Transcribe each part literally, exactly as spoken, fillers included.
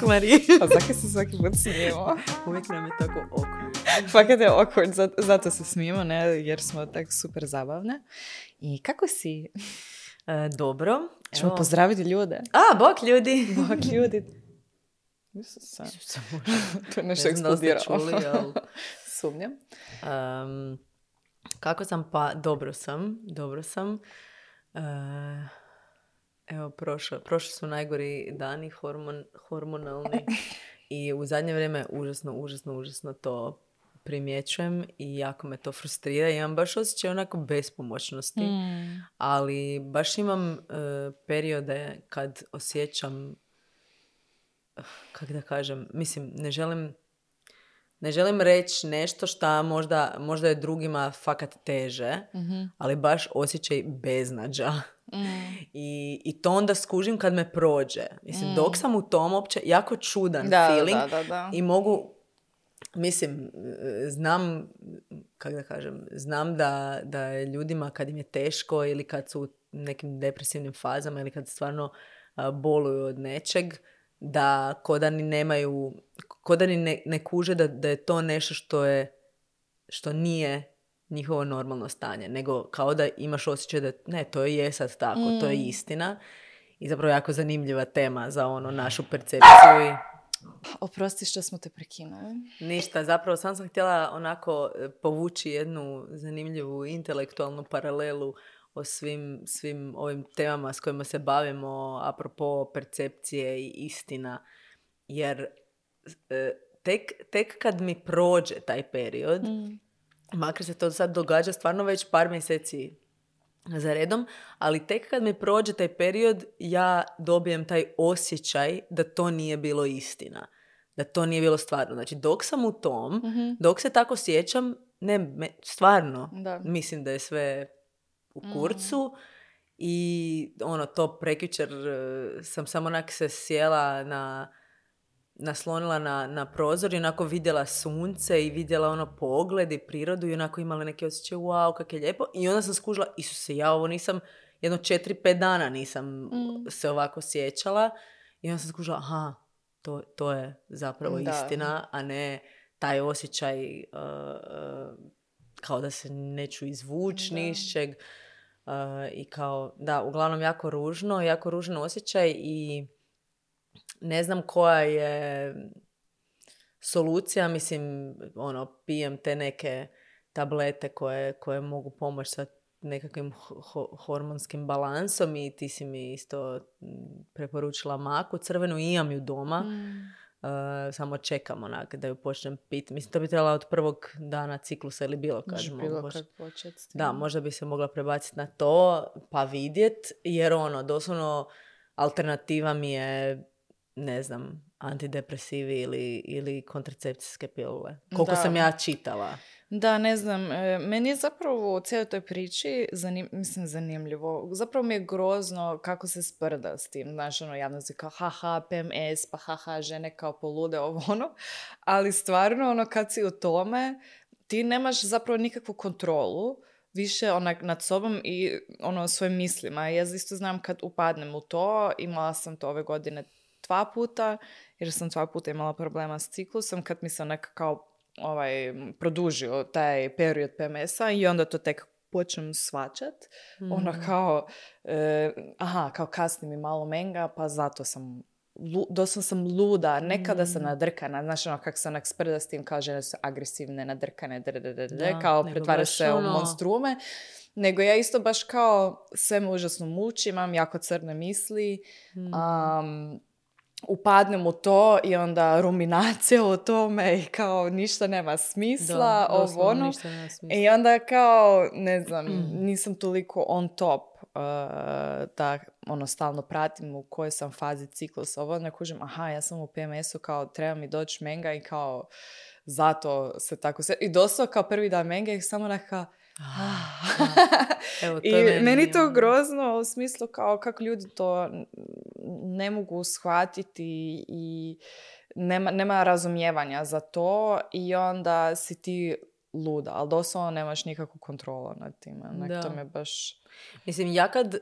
Marija. A zakaj se svaki put smijemo? Uvijek nam je tako awkward. Fakat je awkward, zato, zato se smijemo, ne, jer smo tako super zabavne. I kako si? E, dobro. Ćemo Evo. pozdraviti ljude. A, bok ljudi. Bok ljudi. Isuse. To je nešto Ne znam da li ste eksplodiralo. čuli, ali... Sumnjam. Um, kako sam? Pa, dobro sam. Dobro sam. E, evo, prošlo, prošli su najgori dani hormon, hormonalni. I u zadnje vrijeme užasno, užasno, užasno to primjećujem i jako me to frustrira. Imam baš osjećaj onako bespomoćnosti. Mm. Ali baš imam uh, periode kad osjećam, uh, kako da kažem, mislim, ne želim, ne želim reći nešto što možda, možda je drugima fakat teže, Mm-hmm. ali baš osjećaj beznađa. Mm. I, I to onda skužim kad me prođe. Mislim, Mm. dok sam u tom opće jako čudan Da, feeling da, da, da. i mogu, mislim, znam, kako da kažem, znam da, da je ljudima kad im je teško ili kad su u nekim depresivnim fazama ili kad stvarno a, boluju od nečeg, da ko da ni nemaju, ko da ni ne, ne kuže da, da je to nešto što je, što nije njihovo normalno stanje, nego kao da imaš osjećaj da ne, to je sad tako, mm. to je istina. I zapravo jako zanimljiva tema za ono našu percepciju i Oprosti što smo te prekinuli. ništa, zapravo sam sam htjela onako povući jednu zanimljivu intelektualnu paralelu o svim, svim ovim temama s kojima se bavimo apropo percepcije i istina. Jer e, tek, tek kad mi prođe taj period, Mm. makar se to sad događa stvarno već par mjeseci za redom, ali tek kad mi prođe taj period, ja dobijem taj osjećaj da to nije bilo istina. Da to nije bilo stvarno. Znači, dok sam u tom, Mm-hmm. dok se tako sjećam, ne, me, stvarno, Da. mislim da je sve u kurcu. Mm. I ono, to prekjučer uh, sam samo onak se sjela na... naslonila na, na prozor i onako vidjela sunce i vidjela ono pogled i prirodu i onako imala neki osjećaj, wow, kak je lijepo. I onda sam skužila, Isuse, ja ovo nisam, jedno četiri, pet dana nisam mm. se ovako sjećala. I onda sam skužila, aha, to, to je zapravo Da. istina, a ne taj osjećaj uh, uh, kao da se neću izvući ni iz čeg. Uh, I kao, da, uglavnom jako ružno, jako ružan osjećaj i ne znam koja je solucija, mislim, ono, pijem te neke tablete koje, koje mogu pomoći sa nekakvim ho- hormonskim balansom i ti si mi isto preporučila maku crvenu i imam ju doma. Mm. Uh, samo čekam onak da ju počnem piti. Mislim, to bi trebala od prvog dana ciklusa ili bilo kad. Može bilo mogu, kad početi. Da, možda bi se mogla prebaciti na to pa vidjet, jer ono, doslovno alternativa mi je, ne znam, antidepresivi ili, ili kontracepcijske pilule. Koliko da. sam ja čitala. Da, ne znam. E, meni je zapravo u cijeloj toj priči, zanim, mislim, zanimljivo. Zapravo mi je grozno kako se sprda s tim. Znaš, ono, javnosti kao, haha, P M S, pa haha, žene kao polude, ovo ono. Ali stvarno, ono, kad si u tome, ti nemaš zapravo nikakvu kontrolu više onak nad sobom i ono, svojim mislima. Ja isto znam kad upadnem u to, imala sam to ove godine dva puta, jer sam dva puta imala problema s ciklusom, kad mi se onak kao ovaj, produžio taj period P M S-a i onda to tek počnem svačat. Mm. Ono kao, e, aha, kao kasni mi malo menga, pa zato sam, lu, doslovno sam luda, nekada mm. sam nadrkana, znaš ono kako se onak sprda s tim, kao žene su agresivne, nadrkane, da, kao pretvara se ono... u monstrume. Nego ja isto baš kao sve me užasno muči, imam jako crne misli, mm. um, upadnem u to i onda ruminacija o tome i kao ništa nema smisla, da, ovo ono. Ništa nema smisla. I onda kao, ne znam, mm. nisam toliko on top uh, da ono stalno pratim u kojoj sam fazi ciklusa. Ovo ne kužim, aha, ja sam u P M S-u, kao treba mi doći menga i kao zato se tako sve... I doslovno kao prvi dan menga i samo neka... Ah, Evo, to I meni, meni to grozno u smislu kao kako ljudi to ne mogu shvatiti i nema, nema razumijevanja za to i onda si ti luda, ali doslovno nemaš nikakvu kontrolu nad time. Onak, to me baš... Mislim, ja kad,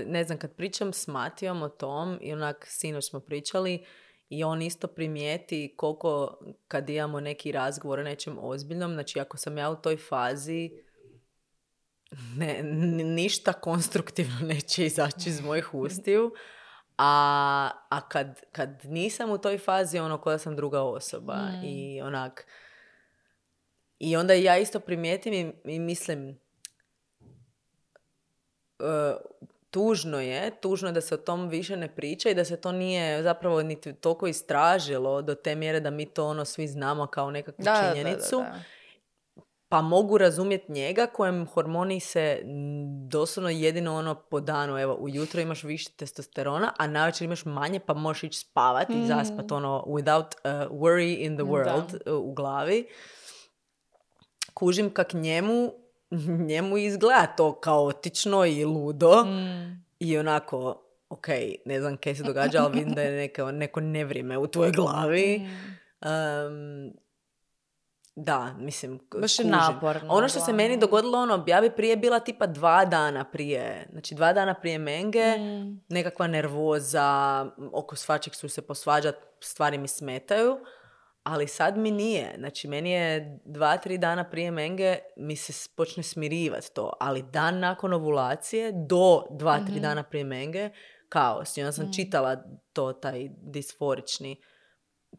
ne znam, kad pričam s Matijom o tom i onak sinoć smo pričali i on isto primijeti koliko kad imamo neki razgovor o nečem ozbiljnom, znači ako sam ja u toj fazi, ne, ništa konstruktivno neće izaći iz mojih ustiju, a, a kad, kad nisam u toj fazi, ono koja sam druga osoba mm. i onak, i onda ja isto primijetim i, i mislim, uh, tužno je, tužno je da se o tom više ne priča i da se to nije zapravo niti toliko istražilo do te mjere da mi to ono svi znamo kao nekakvu da, činjenicu. Da, da, da. Pa mogu razumjeti njega kojem hormoni se doslovno jedino ono po danu, evo ujutro imaš više testosterona, a navečer imaš manje pa možeš ići spavati mm. i zaspat ono without uh, worry in the world uh, u glavi. Kužim kak njemu njemu izgleda to kaotično i ludo mm. i onako, ok, ne znam kaj se događa, ali vidim da je neka, neko nevrijeme u tvojoj glavi. Um, da, mislim, baš je naporno. Ono što se meni dogodilo, ono, ja bi prije bila tipa dva dana prije, znači dva dana prije menge, mm. nekakva nervoza, oko svačeg su se posvađat, stvari mi smetaju. Ali sad mi nije. Znači, meni je dva, tri dana prije menge mi se počne smirivati to. Ali dan nakon ovulacije do dva, tri mm-hmm. dana prije menge kaos. I onda sam mm. čitala to, taj disforični,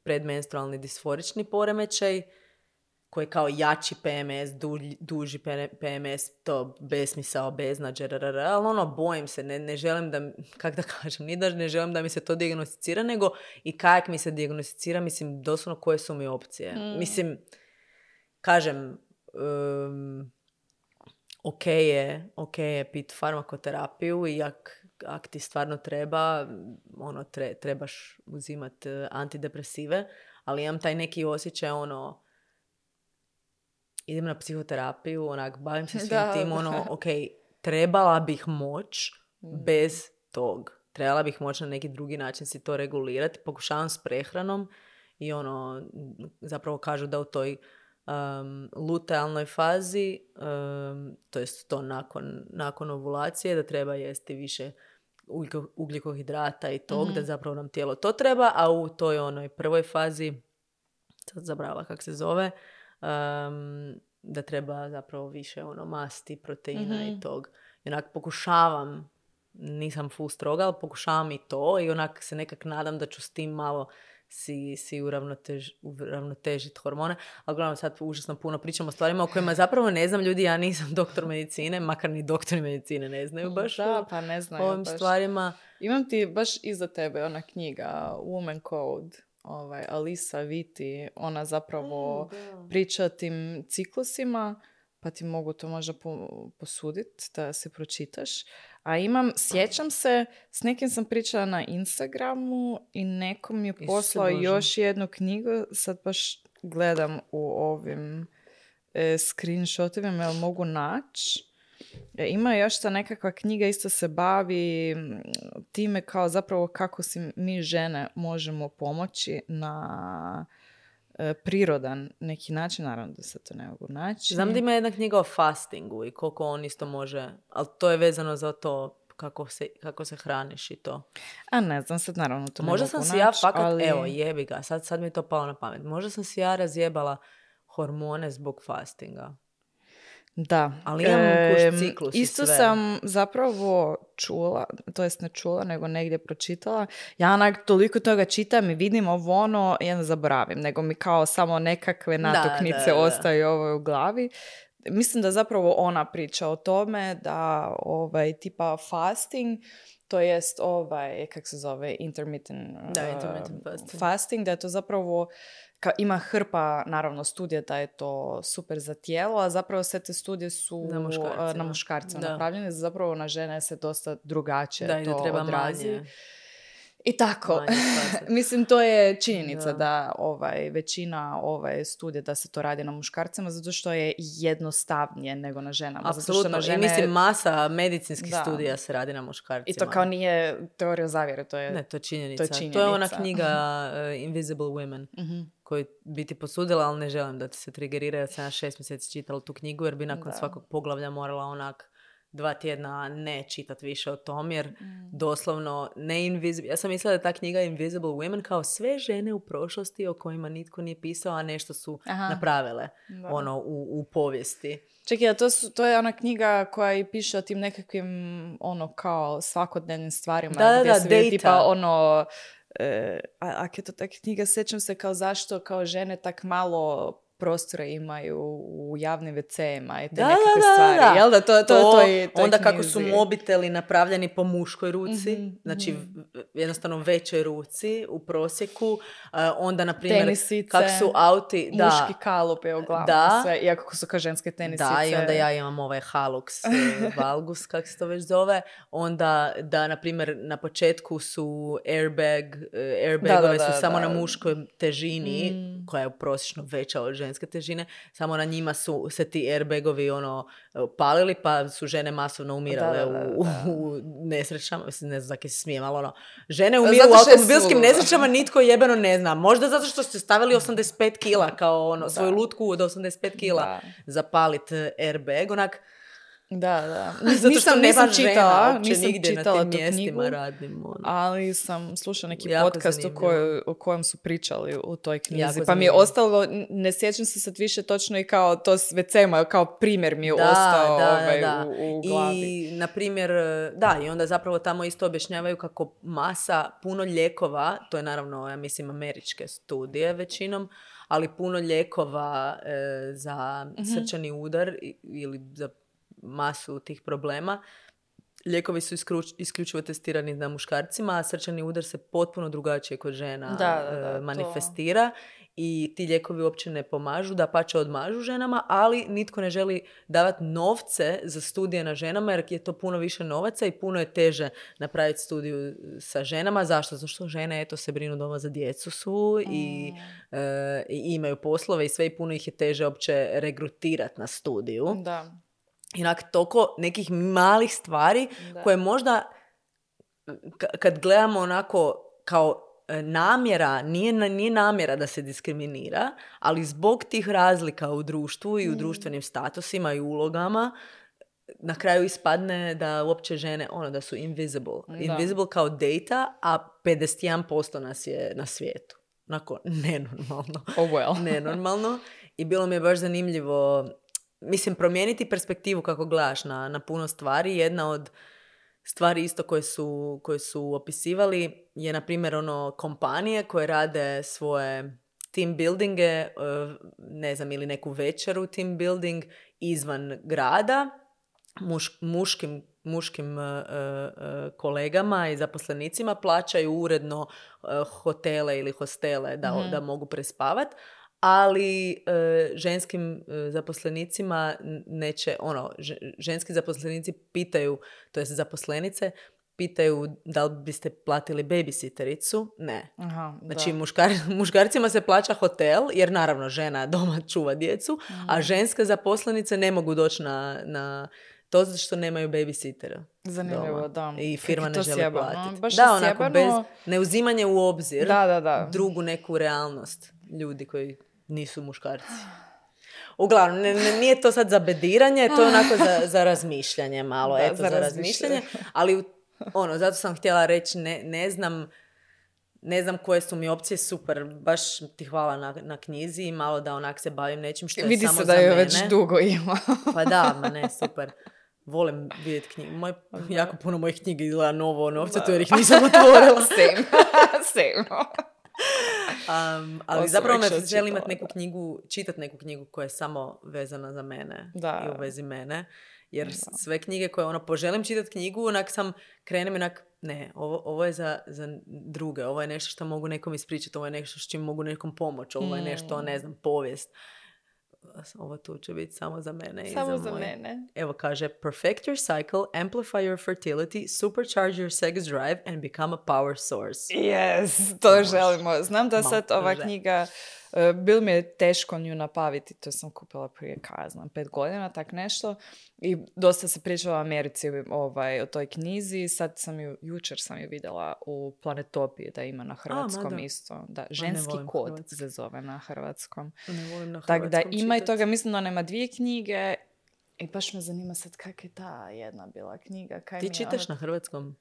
predmenstrualni disforični poremećaj koji je kao jači P M S, duži, duži P M S, to besmisao, beznađe, rrr, ali ono, bojim se, ne, ne želim da, kak da kažem, ni da ne želim da mi se to dijagnosticira, nego i kak mi se dijagnosticira, mislim, doslovno koje su mi opcije. Mm. Mislim, kažem, um, ok je, ok je pit farmakoterapiju i ak, ak ti stvarno treba, ono, tre, trebaš uzimati antidepresive, ali imam taj neki osjećaj, ono, idem na psihoterapiju, onak, bavim se svim da, tim, ono, da. ok, trebala bih moć bez tog. Trebala bih moć na neki drugi način si to regulirati. Pokušavam s prehranom i ono, zapravo kažu da u toj um, lutealnoj fazi, um, to jest to nakon, nakon ovulacije, da treba jesti više ugljikohidrata i tog, mm-hmm. da zapravo nam tijelo to treba, a u toj onoj prvoj fazi, sad zabrala kak se zove, Um, da treba zapravo više ono masti, proteina mm-hmm. i tog. I onak pokušavam, nisam full stroga, ali pokušavam i to i onak se nekak nadam da ću s tim malo si, si uravnotež, uravnotežiti hormone. Ali uglavnom sad užasno puno pričamo o stvarima o kojima zapravo ne znam ljudi, ja nisam doktor medicine, makar ni doktori medicine ne znaju baš da, pa ne znaju ovim baš. stvarima. Imam ti baš iza tebe ona knjiga Woman Code. Ovaj, Alisa Vitti, ona zapravo mm, priča o tim ciklusima, pa ti mogu to možda po, posuditi da se pročitaš. A imam, sjećam se, s nekim sam pričala na Instagramu i nekom mi je poslao još jednu knjigu, sad baš gledam u ovim e, screenshotovima, jel mogu naći. Ima još ta nekakva knjiga, isto se bavi time kao zapravo kako si mi žene možemo pomoći na e, prirodan neki način, naravno da se to ne mogu naći. Znam da ima jedna knjiga o fastingu i koliko on isto može, ali to je vezano za to kako se, kako se hraniš i to. A ne znam, sad naravno to ne možda mogu sam naći. si ja fakat, ali... evo jebi ga, sad, sad mi je to palo na pamet. Možda sam si ja razjebala hormone zbog fastinga. Da. Ali imam e, kuš ciklus isto i sve. Sam zapravo čula, to jest ne čula, nego negdje pročitala. Ja onak toliko toga čitam i vidim ovo ono, ja ne zaboravim, nego mi kao samo nekakve natuknice da, da, da. ostaju ovo u glavi. Mislim da zapravo ona priča o tome da ovaj tipa fasting, to jest ovaj, kak se zove, intermittent, da, intermittent uh, fasting. fasting, da je to zapravo Ka, ima hrpa, naravno, studija da je to super za tijelo, a zapravo sve te studije su na muškarcima, na muškarcima napravljene, zapravo na žene se dosta drugačije da, to da treba odrazi. Manje. I tako. Mislim, to je činjenica da, da ovaj, većina ovaj, studija da se to radi na muškarcima, zato što je jednostavnije nego na ženama. Apsolutno. Zato što na žene... I mislim, masa medicinskih da. studija se radi na muškarcima. I to kao nije teorija zavjere, to je, ne, to je činjenica. To je, činjenica. To je ona knjiga uh, Invisible Women, mm-hmm. koju bi ti posudila, ali ne želim da ti se trigerira. Ja sam šest mjeseci čitala tu knjigu, jer bi nakon da. svakog poglavlja morala onak dva tjedna ne čitat više o tom, jer mm. doslovno ne invisible. Ja sam mislila da je ta knjiga Invisible Women kao sve žene u prošlosti o kojima nitko nije pisao, a nešto su Aha. napravile ono, u, u povijesti. Čekaj, to, su, to je ona knjiga koja i piše o tim nekakvim ono kao svakodnevnim stvarima. Da, gdje da, se da, vidi tipa ono... E, a, a je to taka knjiga, sjećam se kao zašto kao žene tak malo prostora imaju u javnim ve ce-ima i te da, nekakve da, stvari. Da. Jel da? To, to, to, to, je, to onda je kako su mobiteli napravljeni po muškoj ruci, mm-hmm, znači mm-hmm. jednostavno većoj ruci u prosjeku. Uh, onda, na primjer, tenisice, kako su auti... Da, muški kalup je uglavnom da, sve, iako su kao ženske tenisice. Da, i onda ja imam ovaj Halux valgus, kako se to već zove. Onda, da, na primjer, na početku su airbag, airbagove su da, samo da. na muškoj težini, mm. koja je prosječno veća od ženske težine. Samo na njima su se ti airbagovi ono, palili, pa su žene masovno umirale da, da, da, da. U, u nesrećama. Mislim, ne znam zakaj se smijem, ali ono, žene umiru u automobilskim nesrećama, nitko jebeno ne zna. Možda zato što ste stavili osamdeset pet kila, kao ono, svoju lutku od osamdeset pet kila da. zapalit airbag, onak. Da, da. Zato nisam, što nisam žena, čitala, nisam čitala na tim mjestima radim, ono. Ali sam slušala neki jako podcast u, kojoj, u kojem su pričali u toj knjizi. Jako pa zanimljivo. Mi je ostalo, ne sjećam se sad više točno i kao to s ve ce-ma, kao primjer mi je da, ostao da, ovaj, da. U, u glavi. I, na primjer, da, i onda zapravo tamo isto objašnjavaju kako masa, puno lijekova, to je naravno, ja mislim, američke studije većinom, ali puno lijekova e, za mm-hmm. srčani udar ili za masu tih problema. Lijekovi su iskruč, isključivo testirani na muškarcima, a srčani udar se potpuno drugačije kod žena da, da, da, manifestira to. I ti lijekovi uopće ne pomažu, da pače odmažu ženama, ali nitko ne želi davati novce za studije na ženama, jer je to puno više novaca i puno je teže napraviti studiju sa ženama. Zašto? Zato što žene eto, se brinu doma za djecu su i, mm. e, i imaju poslove i sve i puno ih je teže uopće regrutirati na studiju. Da. Inak toliko nekih malih stvari da. koje možda k- kad gledamo onako kao namjera, nije, nije namjera da se diskriminira, ali zbog tih razlika u društvu i u mm. društvenim statusima i ulogama na kraju ispadne da uopće žene, ono, da su invisible. Da. Invisible kao data, a pedeset jedan posto nas je na svijetu. Onako, nenormalno. Oh well. Nenormalno. I bilo mi je baš zanimljivo, mislim, promijeniti perspektivu kako gledaš na, na puno stvari. Jedna od stvari isto koje su, koje su opisivali je, na primjer, ono, kompanije koje rade svoje team buildinge, ne znam, ili neku večeru team building izvan grada, muš, muškim, muškim uh, uh, kolegama i zaposlenicima plaćaju uredno uh, hotele ili hostele da, mm. da mogu prespavati. Ali e, ženskim e, zaposlenicima neće, ono, ženski zaposlenici pitaju, to jest zaposlenice, pitaju da li biste platili babysittericu? Ne. Aha, znači, muškar, muškarcima se plaća hotel, jer naravno žena doma čuva djecu, mm. a ženske zaposlenice ne mogu doći na, na to zato što nemaju babysittera. Zanimljivo, da. I firma ne želi sjebano. platiti. Baš da, onako, sjebano. bez neuzimanja u obzir da, da, da. drugu neku realnost ljudi koji nisu muškarci. Uglavnom, ne, ne, nije to sad za bediranje, to je onako za, za razmišljanje malo, da, eto, za, za razmišljanje. Ali, ono, zato sam htjela reći, ne, ne znam, ne znam koje su mi opcije, super, baš ti hvala na, na knjizi i malo da onak se bavim nečim što je Vidi samo se za da je mene. Već dugo ima. Pa da, ma ne, super. Volim vidjeti knjige. Moj, jako puno mojih knjiga izgleda novo novce, to jer ih nisam otvorila. Same. Same. Um, ali Oso zapravo me želim imati neku knjigu, čitati neku knjigu koja je samo vezana za mene da. I u vezi mene. Jer da. Sve knjige koje ono, poželim čitati knjigu, onak sam, krenem onak, ne, ovo, ovo je za, za druge, ovo je nešto što mogu nekom ispričati, ovo je nešto s čim mogu nekom pomoći, ovo je nešto, ne znam, povijest. Ovo tu će biti samo za mene. Samo i za, za moj. mene. Evo kaže, perfect your cycle, amplify your fertility, supercharge your sex drive and become a power source. Yes, to Mož. Želimo. Znam da sad ova knjiga, uh, bil mi je teško nju napaviti, to sam kupila prije, kaj znam, pet godina, tak nešto. I dosta se pričala o Americi ovaj, o toj knjizi. Sad sam ju, jučer sam ju vidjela u Planetopiji da ima na hrvatskom. A, isto. Da, ženski kod se zove na hrvatskom. Ne volim na hrvatskom tak da ima čitati. I toga, mislim da ona ima dvije knjige I baš me zanima sad kak je ta jedna bila knjiga. Kaj Ti mi je čitaš ono- na hrvatskom?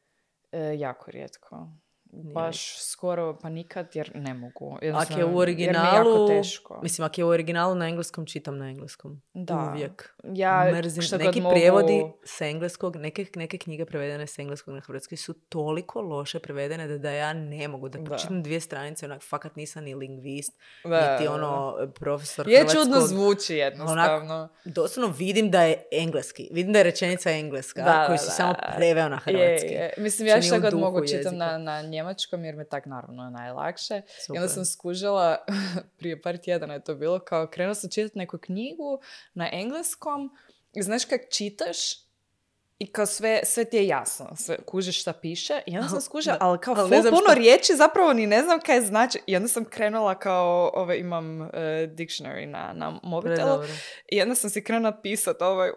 E, jako rijetko. Nije Baš skoro pa nikad jer ne mogu. Ako Jednostavno, je u jer mi je jako originalu, teško. mislim, ako je u originalu na engleskom, čitam na engleskom. Da. Uvijek. Ja Mrzim. šta god Neki mogu- prijevodi s engleskog, neke, neke knjige prevedene s engleskog na hrvatski su toliko loše prevedene da, da ja ne mogu da Da. pročitam dvije stranice, onak, fakat nisam ni lingvist, Da, niti da, ono, profesor Je hrvatskog. čudno zvuči jednostavno. Doslovno vidim da je engleski. Vidim da je rečenica engleska, Da, koju da, si da. samo preveo na hrvatski. Je, je. Mislim, Znači, ja šta nije u god duhu mogu čitam jezika. na, na njemačkom jer me tak naravno najlakše. I Super. onda sam skužila, prije par tjedana je to bilo, kao krenula sam čitati neku knjigu na engleskom i znaš kak čitaš i kao sve, sve ti je jasno, sve, kužiš šta piše i onda sam skužila, Da. ali kao Ali ful ne znam puno šta. riječi zapravo ni ne znam kaj znači i onda sam krenula kao, ove, imam uh, dictionary na, na mobitelu Predobro. i onda sam si krenula pisat ovaj, u,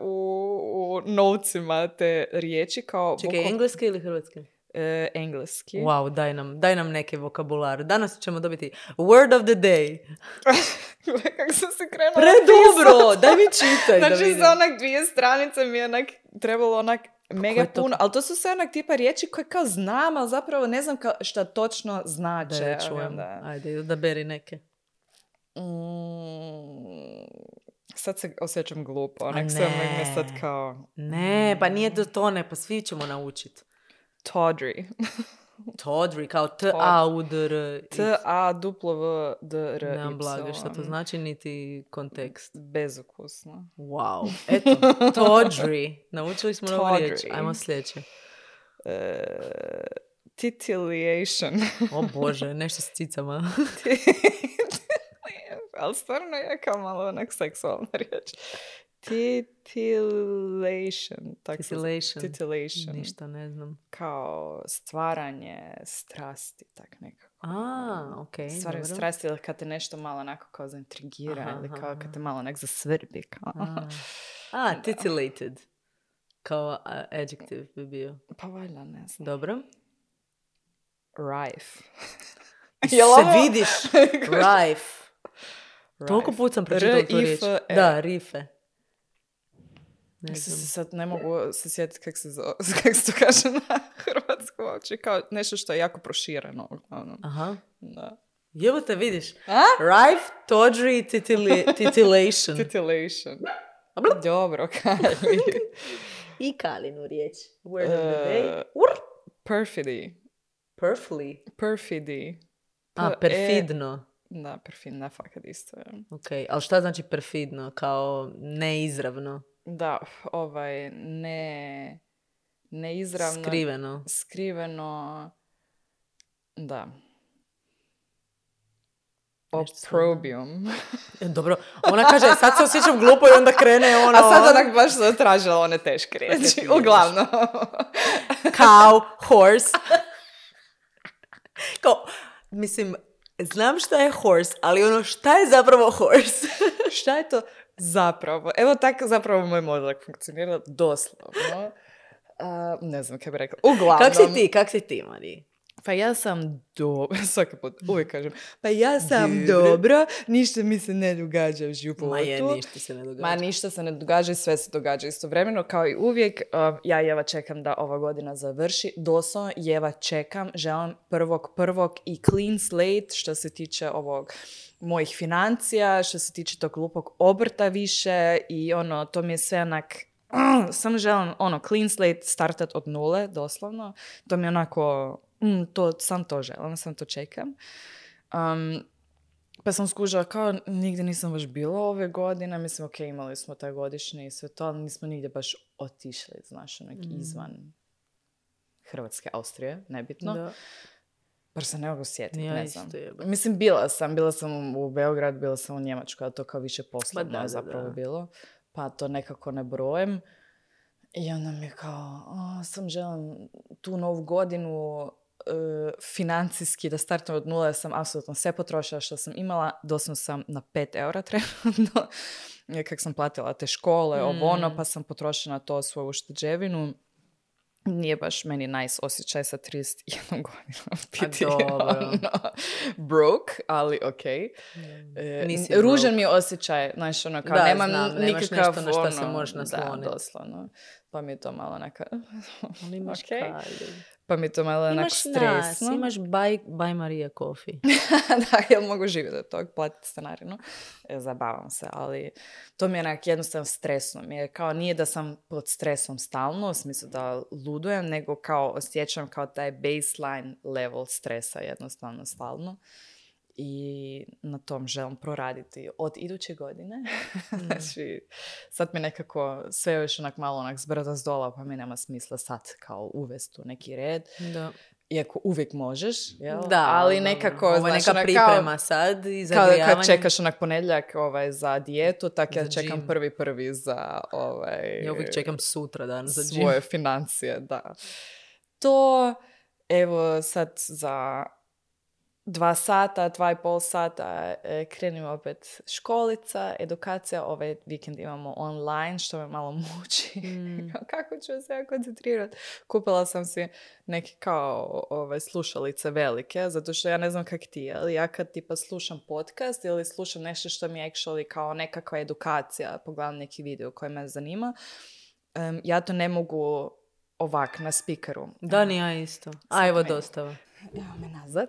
u notesima te riječi kao Čekaj, bukval- engleski ili hrvatski? e, engleski. Wow, daj nam, daj nam neke vokabular. Danas ćemo dobiti word of the day. Kako sam se krenula Predobro, pisat. daj mi čitaj da Znači vidim. za onak dvije stranice mi je onak trebalo onak mega je to? puno, ali to su sve onak tipa riječi koje kao znam, ali zapravo ne znam kao šta točno Da znače. je ali čujem. onda- Ajde, da beri neke. Mm, sad se osjećam glupo, A onak sve ne. me sad kao Ne, pa nije to to, ne, pa svi ćemo naučiti. tawdry. Tawdry, kao T A U D R. T A W D R Y. Nemam blage, šta to znači, niti kontekst. Bezukusno. Wow, eto, Tawdry. Naučili smo novu riječ. Tawdry. Ajmo sljedeće. E, titillation. O Bože, nešto s cicama. Ali stvarno je kao malo onak seksualna riječ. Titillation. Tak se zove. Titillation. Titillation. Ništa ne znam. Kao stvaranje strasti, tak nekako. A, okej, Stvaranje dobro. strasti ili kad te nešto malo onako kao zaintrigira Aha, ili aha, kao aha. kad te malo onak zasvrbi. Kao. A, A, titillated. Kao a, adjective bi bio. Pa valjda ne znam. Dobro. Rife. Se Jel ovo- vidiš, rife. Toliko Rife. put sam pročitala tu riječ. R-I-F-E. Da, rife. Ne Mislim znam. se sad ne mogu se sjetiti kako se, zove, kako se to kaže na hrvatsku uopće. Kao nešto što je jako prošireno. Uglavnom. Aha. Da. Jevo te vidiš. A? Rife, tawdry, titili- titillation. Titillation. Dobro, Kali. I Kalinu riječ. Word of the Uh, day. Ur. Perfidy. Perfidly. Perfidy. A, P- perfidno. Da, perfidna fakat isto. je. Ok, ali šta znači perfidno? Kao neizravno? Da, ovaj, ne, neizravno. Skriveno. Skriveno. Da. Nešto sam- Opprobrium. E, Dobro, ona kaže, sad se osjećam glupo i onda krene ono... A sad onak baš sam tražila one teške riječi. ti Uglavnom. Cow, horse. Kao, mislim, znam šta je horse, ali ono šta je zapravo horse? Šta je to zapravo? Evo tako zapravo moj mozak funkcionira doslovno. A, ne znam kaj bi rekla. Uglavnom. Kak si ti, kak si ti, Mariji? Pa ja sam dobro, svaki put uvijek kažem, pa ja sam Dobro. dobro, ništa mi se ne događa u životu. Ma je, ništa se ne događa. Ma ništa se ne događa i sve se događa istovremeno, kao i uvijek. Uh, ja jeva čekam da ova godina završi. Doslovno jeva čekam, želim prvog prvog i clean slate što se tiče ovog mojih financija, što se tiče tog glupog obrta više i ono, to mi je sve onak, uh, samo želim ono, clean slate startat od nule, doslovno. To mi je onako, mm, to, sam to želim, sam to čekam. Um, Pa sam skužila kao nigdje nisam baš bila ove godine. Mislim, ok, imali smo taj godišnji i sve to, ali nismo nigdje baš otišli, znaš, onak Mm. izvan Hrvatske, Austrije, nebitno. Da. Bar se ne mogu sjetiti, Ja ne isto znam. jebem. Mislim, bila sam, bila sam u Beograd, bila sam u Njemačkoj, a to kao više poslovno Ma da, da, zapravo da. bilo. Pa to nekako ne brojem. I onda mi je kao, o, sam želim tu novu godinu e, financijski da startam od nula, jer sam apsolutno sve potrošila što sam imala, doslovno sam na pet eura trenutno, jer kak sam platila te škole, ovo ono, Mm. pa sam potrošila na to svoju ušteđevinu. nije baš meni nice osjećaj sa trideset jednom godinom biti dobro. ono, broke, ali okej. Nisi Okay. Ružan broke. mi je osjećaj, znaš, ono, kao Da, nemam znam, nemaš nikakav, nešto na šta ono, se možeš nasloniti. Da, doslovno. Pa mi je to malo neka... Ali imaš okay. kalju. Pa mi je to malo onak Imaš stresno. nas, imaš Buy, buy Maria Coffee. Da, ja mogu živjeti od tog, platiti stanarinu. E, zabavam se, ali to mi je onak jednostavno stresno. Mi je kao, nije da sam pod stresom stalno, u smislu da ludujem, nego kao osjećam kao taj baseline level stresa jednostavno stalno. I na tom želim proraditi od iduće godine. Mm. Znači, sad mi nekako sve još onak malo onak zbrda zdola, pa mi nema smisla sad kao uvesti u neki red. Da. Iako uvijek možeš, jel? Da, ali nekako... ovo je neka znaš, priprema kao, sad i kao zagrijavanje. kad čekaš onak ponedjeljak ovaj, za dijetu, tak ja Za čekam gym. prvi prvi za ovaj, Ja uvijek čekam sutra dan za gym. svoje financije, da. To, evo sad za dva sata, dva i pol sata e, krenimo opet školica, edukacija, ovaj vikend imamo online, što me malo muči. Mm. Kako ću se ja koncentrirati? Kupila sam si neke kao ove, slušalice velike, zato što ja ne znam kak ti je, ali ja kad tipa slušam podcast ili slušam nešto što mi je actually kao nekakva edukacija, pogledam neki video koji me zanima, um, ja to ne mogu ovak na speakeru. Da, ni ja isto. A evo dostava. Evo me nazad.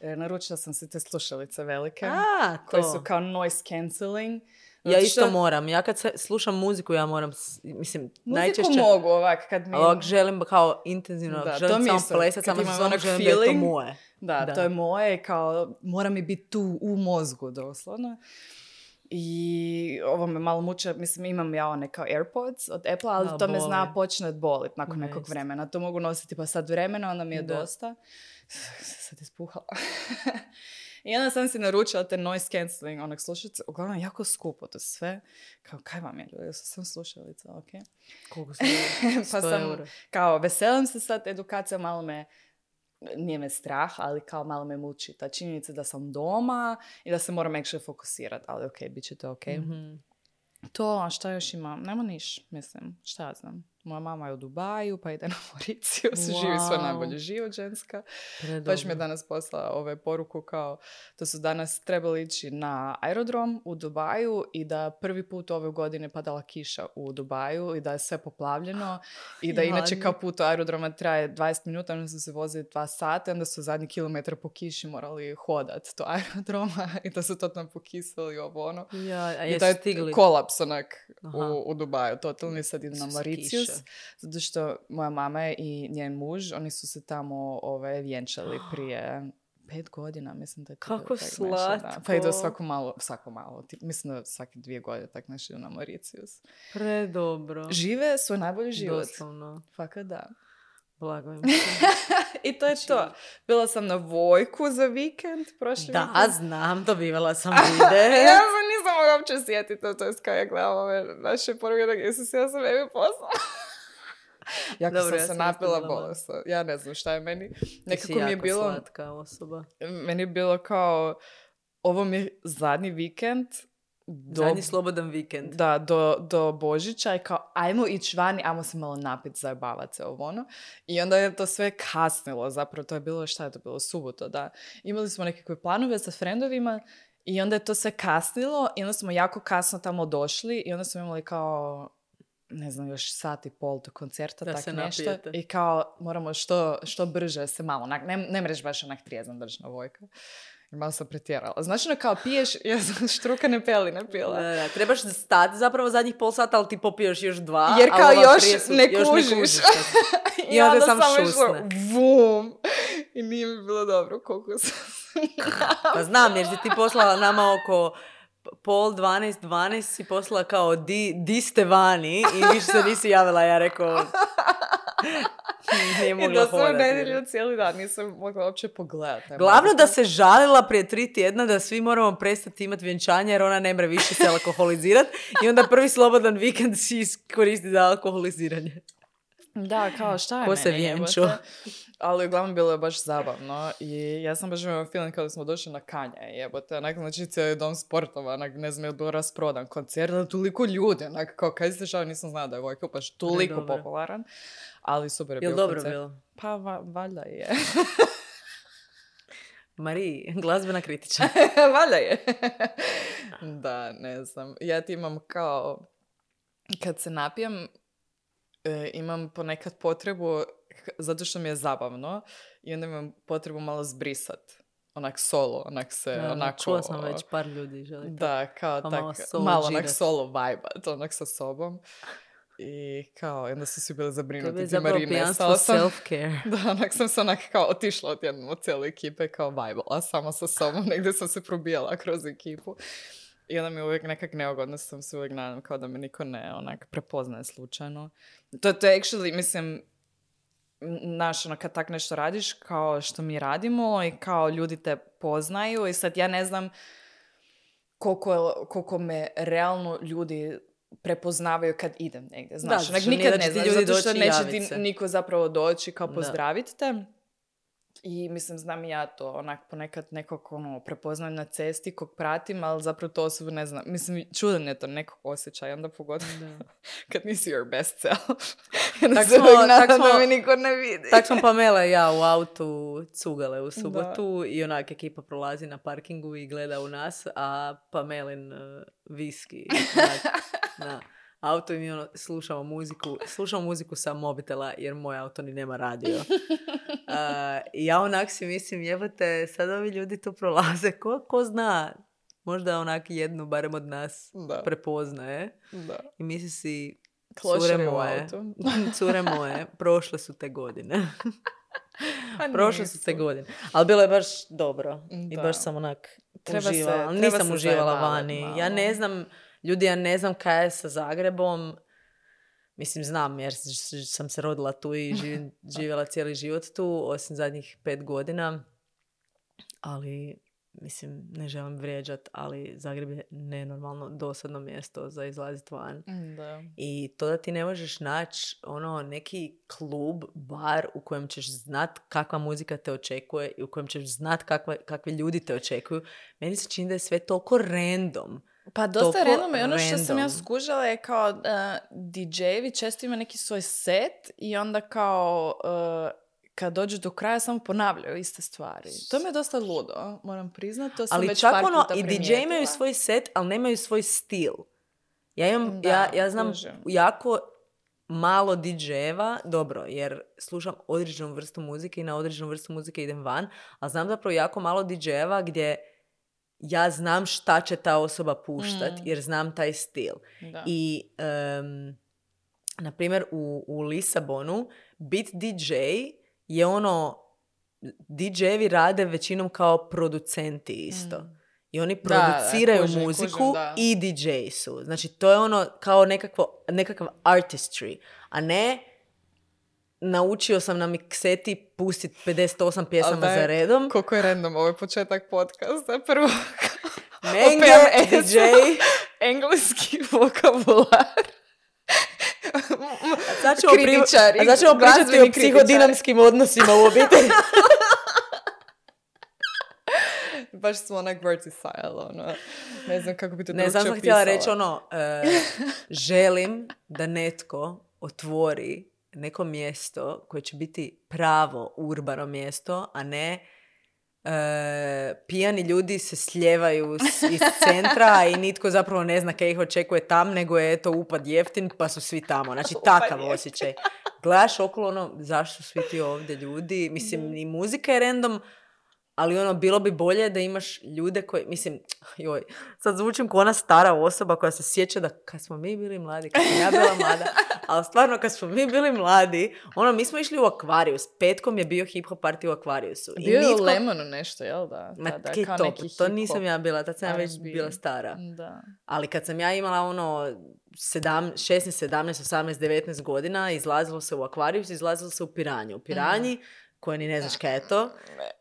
E, naručila sam se te slušalice velike. A, to. Koje su kao noise cancelling. Ja isto što... moram. Ja kad se, slušam muziku, ja moram, mislim, muziku najčešće... mogu ovak kad mi... Ali želim kao intenzivno, da, želim samo plesati, samo što samo želim feeling, da je to moje. Da, da, to je moje, kao mora mi biti tu u mozgu, doslovno. I ovo me malo muče, mislim imam ja one kao AirPods od Apple, ali da, to boli. Me zna počne bolit nakon ne nekog vremena. To mogu nositi pa sad vremena, onda mi je da. Dosta. Sad ispuhala. I onda sam si naručila te noise cancelling onak slušalice, uglavnom jako skupo to sve. Kao, kaj vam je ljudi, sam slušalica, ok. Koliko sam pa sam, euro. Kao, veselim se sad, edukacija malo me, nije me strah, ali kao malo me muči. Ta činjenica da sam doma i da se moram actually fokusirati, ali ok, bit će to ok. Mm-hmm. To, a šta još imam? Nema niš, mislim, šta ja znam. Moja mama je u Dubaju, pa ide na Mauricius, wow. Živi svoj najbolji život ženska. Baš mi je danas poslala ove poruku kao da su danas trebali ići na aerodrom u Dubaju i da prvi put ove godine padala kiša u Dubaju i da je sve poplavljeno i da inače kao put u aerodroma traje dvadeset minuta, onda su se vozili dva sata, onda su zadnji kilometar po kiši morali hodati do aerodroma i da su to tam pokisali ovo ono. Ja, a i da je stigli? Kolaps onak u, u Dubaju. Totalni sad idu na Mauricius. Zato što moja mama i njen muž, oni su se tamo ove, vjenčali prije pet godina, mislim da je to. Kako slatko. Da. Pa idu svako malo, svako malo, tip, mislim da svake dvije godine tak nešto idu na Mauricius. Predobro. Žive svoj najbolji život. Doslovno. Fakat da. Blago im I to je to. Bila sam na Vojku za vikend prošli Da, vikend. znam, dobivala sam vide. Ja sam nisam mogla uopće sjetiti to, to je kao ja gledam ove naše poruke da Isus, ja sam evi poslala. Jako Dobro, sam ja se napila bolesno. Ja ne znam šta je meni. Nekako mi je bilo... slatka osoba. Meni je bilo kao... Ovo mi je zadnji vikend. Do, zadnji slobodan vikend. Da, do, do Božića i kao ajmo ići vani, ajmo se malo napit, zajebavat se ovo ono. I onda je to sve kasnilo. Zapravo to je bilo, šta je to bilo, subota, da. Imali smo nekakve planove sa frendovima i onda je to sve kasnilo i onda smo jako kasno tamo došli i onda smo imali kao... ne znam, još sat i pol do koncerta, da tak se nešto. Napijete. I kao moramo što, što brže se malo, onak, ne, ne mreš baš onak trijezan držna Vojka. I malo sam pretjerala. Znači, ono kao piješ, ja sam štrukane peline pila. Da, da, trebaš stati zapravo zadnjih pol sata, ali ti popiješ još dva. Jer kao još su, ne još kužiš. Ne kužiš I, I onda sam šusne. Vum. I nije mi bilo dobro koliko sam Pa znam, jer si ti poslala nama oko... pol dvanaest, dvanaest si poslala kao di, di ste vani i više se nisi javila, ja rekao nije mogla hodati. I da sam nedjelju cijeli dan, nisam mogla uopće pogledati. Glavno da se žalila prije tri tjedna da svi moramo prestati imati vjenčanje jer ona ne mre više se alkoholizirati i onda prvi slobodan vikend si iskoristi za alkoholiziranje. Da, kao šta je Ko meni se vjenču? jebote? Ali uglavnom bilo je baš zabavno i ja sam baš imala feeling kada smo došli na Kanje, jebote, onak, znači cijeli dom sportova, onak, ne znam je li bilo rasprodan koncert, ali toliko ljudi, onak, kao kaj se šao, nisam znala da je Vojko baš toliko popularan, ali super je bio dobro koncert. bilo? Pa va, valjda je. Mariji, glazbena kritiča. Valjda je. Da, ne znam. Ja ti imam kao, kad se napijem, e, imam ponekad potrebu, zato što mi je zabavno, i onda imam potrebu malo zbrisat. Onak solo, onak se, Ja, onako... čula sam već par ljudi želi. Da, kao pa tak, malo, solo malo onak džirat. solo vibat, onak sa sobom. I kao, onda su svi bili zabrinuti. Tebe je ti zapravo Marine, pijanstvo sam, self-care. Da, onak sam se onak kao otišla od jednom od cijele ekipe, kao vibala sama sa sobom, negdje sam se probijala kroz ekipu. I onda mi je uvijek nekak neugodno, sam se uvijek nadam kao da me niko ne onak prepoznaje slučajno. To, to je actually, mislim, znaš, ono, kad tak nešto radiš, kao što mi radimo i kao ljudi te poznaju i sad ja ne znam koliko, koliko me realno ljudi prepoznavaju kad idem negdje, znaš, da, onak, nikad ne znam, ljudi zato što doći neće ti ti niko zapravo doći kao Da. pozdraviti te. I mislim, znam i ja to, onak ponekad nekog ono, prepoznam na cesti kog pratim, ali zapravo to osobu ne znam. Mislim, čudan je to nekog osjećaja, onda pogotovo kad nisi your best self. Tak se smo, uvijek tak nadam da smo, me niko ne vidi. tak smo Pamela i ja u autu cugale u subotu i onak ekipa prolazi na parkingu i gleda u nas, a Pamelin uh, viski onak, na auto i mi ono, slušamo muziku, slušamo muziku sa mobitela jer moj auto ni nema radio. Uh, I ja onak si mislim, jebate, sad ovi ljudi tu prolaze, ko, ko zna, možda onak jednu, barem od nas, Da. prepoznaje. Da. I misli si, Klošari cure u moje, autu. cure moje, prošle su te godine. Pa Prošle nisu. su te godine. Ali bilo je baš dobro. I Da. baš sam onak Treba se- uživala. Ali treba nisam se uživala zajebavat vani. malo. Ja ne znam, ljudi, ja ne znam kaj je sa Zagrebom. Mislim, znam jer s- sam se rodila tu i živim, živjela cijeli život tu, osim zadnjih pet godina. Ali, mislim, ne želim vrijeđat, ali Zagreb je nenormalno dosadno mjesto za izlazit van. Da. I to da ti ne možeš naći ono neki klub, bar u kojem ćeš znat kakva muzika te očekuje i u kojem ćeš znat kakva, kakvi ljudi te očekuju. Meni se čini da je sve toliko random. Pa dosta Toliko random i ono što sam ja random. skužila je kao uh, di džejevi često ima neki svoj set i onda kao uh, kad dođu do kraja samo ponavljaju iste stvari. To mi je dosta ludo, moram priznati. To sam Ali već čak par ono, puta i primijetila. di džeji imaju svoj set, ali nemaju svoj stil. Ja, imam, Da, ja, ja znam kužim. jako malo di džejeva, dobro, jer slušam određenu vrstu muzike i na određenu vrstu muzike idem van, ali znam zapravo jako malo di džejeva gdje ja znam šta će ta osoba puštat, Mm. jer znam taj stil. Da. I, um, na primjer, u, u Lisabonu bit di džej je ono, di džejevi rade većinom kao producenti isto. Mm. I oni Da, da, produciraju kužim, muziku kužim, da. i di džej su. Znači, to je ono kao nekakvo, nekakav artistry, a ne naučio sam na mikseti pustit pedeset osam pjesama Ali daj, za redom. Koliko je random ovaj početak podcasta. Prvo, Menge, P M S. di džej. engleski vokabular. Sad ćemo, pri... Kritičari, a sad ćemo pričati glazbeni o psihodinamskim odnosima u obitelji. Baš smo onak verticile, ono. Ne znam kako bi to Ne, drugčije sam sam htjela opisala. reći ono, e, želim da netko otvori neko mjesto koje će biti pravo urbano mjesto, a ne e, pijani ljudi se sljevaju s- iz centra i nitko zapravo ne zna kaj ih očekuje tam, nego je eto upad jeftin pa su svi tamo. Znači takav jeftin. osjećaj. Gledaš okolo ono, zašto su svi ti ovdje ljudi? Mislim, i muzika je random, ali ono, bilo bi bolje da imaš ljude koji, mislim, joj, sad zvučim kao ona stara osoba koja se sjeća da kad smo mi bili mladi, kad sam ja bila mlada, ali stvarno kad smo mi bili mladi, ono, mi smo išli u Akvarijus, petkom je bio hip-hop party u Akvarijusu. I Bio je nitko- u Lemonu nešto, jel da? Ma, Tada, kaj kao to, neki to hip-hop, nisam ja bila, tad sam ja već R and B. bila stara. Da. Ali kad sam ja imala ono sedam, šesnaest, sedamnaest, osamnaest, devetnaest godina, izlazilo se u Akvarijus, izlazilo se u Piranju. U Piranji, koje ni ne znaš kaj je to,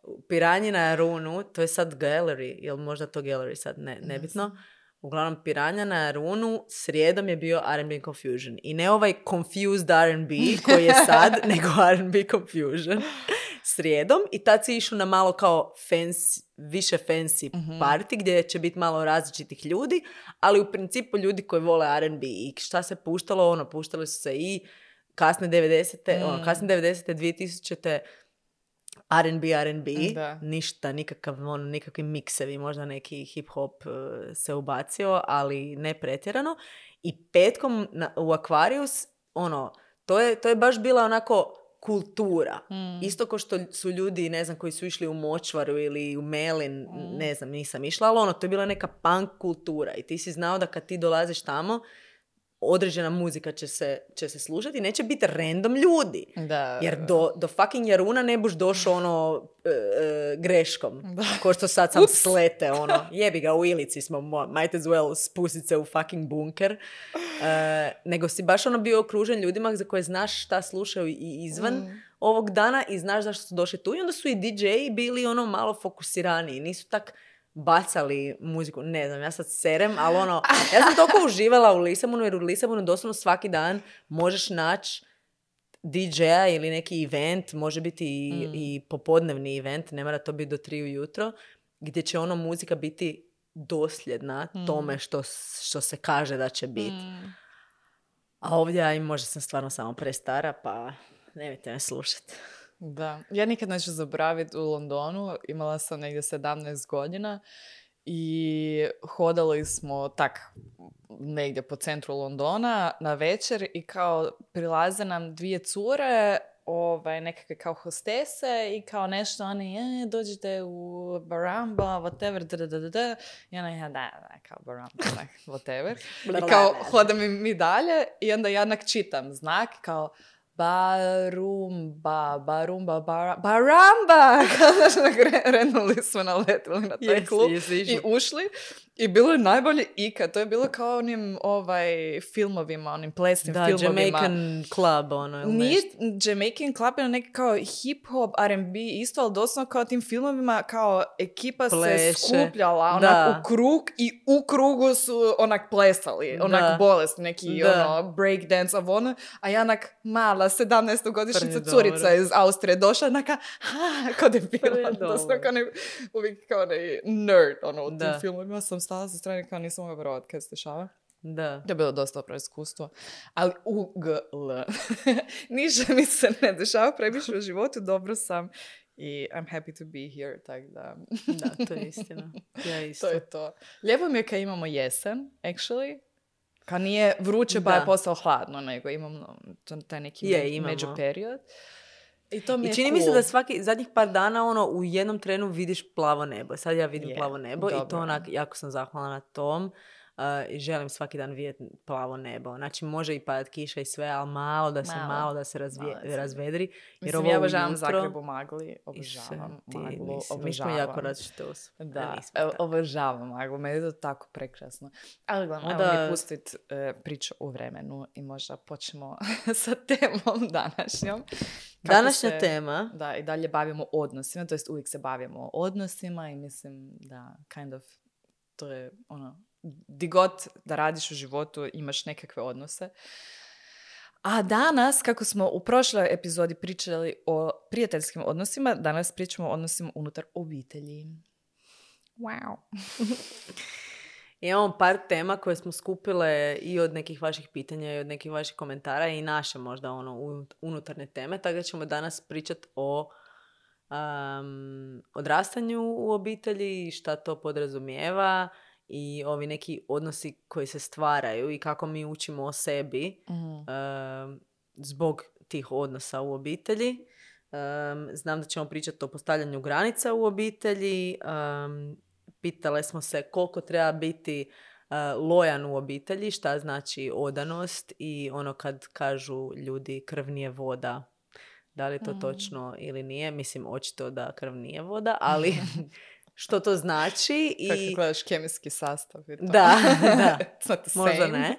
u Piranji na Runu, to je sad gallery, jel možda to gallery sad, ne, nebitno. uglavnom Piranja na Jarunu, srijedom je bio R and B Confusion. I ne ovaj Confused R and B koji je sad, nego R and B Confusion. Srijedom. I tad si išao na malo kao fancy, više fancy mm-hmm. party gdje će biti malo različitih ljudi, ali u principu ljudi koji vole R and B. I šta se puštalo? Ono, puštali su se i kasne devedesete, mm. ono, kasne devedesete, dvije tisućite R and B, R and B, da. Ništa, nikakav, ono, nikakvi miksevi, možda neki hip-hop uh, se ubacio, ali ne pretjerano. I petkom na, u Aquarius, ono, to je, to je baš bila onako kultura. Mm. Isto kao što su ljudi, ne znam, koji su išli u Močvaru ili u Melin, mm. ne znam, nisam išla, ali ono, to je bila neka punk kultura. I ti si znao da kad ti dolaziš tamo, određena muzika će se, će se slušati i neće biti random ljudi. Da. Jer do, do fucking Jaruna ne buš došao ono e, e, greškom. Da. Ko što sad sam Ups. slete, ono, jebi ga, u Ilici smo, might as well spustit se u fucking bunker. E, nego si baš ono bio okružen ljudima za koje znaš šta slušaju i izvan mm. ovog dana i znaš zašto su došli tu. I onda su i di džeji bili ono malo fokusiraniji. Nisu tak bacali muziku, ne znam, ja sad serem, ali ono, ja sam toliko uživala u Lisabonu, jer u Lisabonu doslovno svaki dan možeš naći di džeja ili neki event, može biti i, mm. i popodnevni event, ne mora to biti do tri ujutro, gdje će ono muzika biti dosljedna mm. tome što, što se kaže da će biti. Mm. A ovdje, aj, možda sam stvarno samo prestara, pa nemojte me slušati. Da, ja nikad neću zaboraviti u Londonu, imala sam negdje sedamnaest godina i hodali smo tak negdje po centru Londona na večer i kao prilaze nam dvije cure, ovaj, nekakve kao hostese i kao nešto oni, e, dođite u Baramba, whatever, da, da, da, da. I ona, ja, da, da, kao Baramba, da, whatever. I kao hodam mi dalje i onda ja onak čitam znak, kao Barumba, Barumba, bara, Baramba! Znači, renuli smo, naletili na taj yes, klub yes, i ušli. I bilo je najbolje ikad. To je bilo kao onim ovaj, filmovima, onim plesnim da, filmovima. Jamaican Club, ono. Nije Jamaican Club, je neki kao hip-hop, R and B isto, ali doslovno kao tim filmovima, kao ekipa Pleše. se skupljala onak u krug i u krugu su onak plesali. Onak da. bolest, neki da. ono breakdance of ono. A ja onak mala, sedamnaestogodišnjica curica iz Austrije došla, naka, ha, kao da je bila. Doslovno kao ne, uvijek kao ne nerd, ono, u tim da. filmovima sam stala sa strane kao nisam mogla vjerovati kad se dešava. Da. To je bilo dosta dobro iskustvo. Ali U G L. Ništa mi se ne dešava previše u životu, dobro sam i I'm happy to be here, tak da... da, to je istina. Ja isto. To je to. Lijepo mi je kad imamo jesen, actually. Kad nije vruće pa je postalo hladno, nego imamo taj neki je, međuperiod. I, to mi I je čini cool. mi se da svaki, zadnjih par dana ono, u jednom trenu vidiš plavo nebo. Sad ja vidim yeah, plavo nebo dobro. I to onak, jako sam zahvalna na tom. Uh, i želim svaki dan vidjeti plavo nebo. Znači može i padat kiša i sve, ali malo da se, malo, malo da se razvije, malo razvedri. Jer mislim, ovo ja obožavam jutro... Zagreb u magli. Obožavam ti, maglu. Mislim, obožavam. Mi smo jako različite osobe. Da, evo, obožavam maglu. Meni je to tako prekrasno. Ali gledam, Onda... evo mi pustit uh, priču u vremenu i možda počnemo sa temom današnjom. Kako Današnja se, tema. Da, i dalje bavimo odnosima. To jest uvijek se bavimo odnosima i mislim da kind of to je ono di god da radiš u životu imaš nekakve odnose. A danas, kako smo u prošloj epizodi pričali o prijateljskim odnosima, danas pričamo o odnosima unutar obitelji. Wow. Imamo par tema koje smo skupile i od nekih vaših pitanja i od nekih vaših komentara i naše možda ono unutarnje teme, tako da ćemo danas pričati o um, odrastanju u obitelji i šta to podrazumijeva i ovi neki odnosi koji se stvaraju i kako mi učimo o sebi mm. um, zbog tih odnosa u obitelji. Um, znam da ćemo pričati o postavljanju granica u obitelji. Um, pitale smo se koliko treba biti uh, lojan u obitelji, šta znači odanost i ono kad kažu ljudi krv nije voda. Da li je to mm. točno ili nije? Mislim, očito da krv nije voda, ali... Što to znači i... Kako gledaš kemijski sastav i to. Da, da. Možda ne.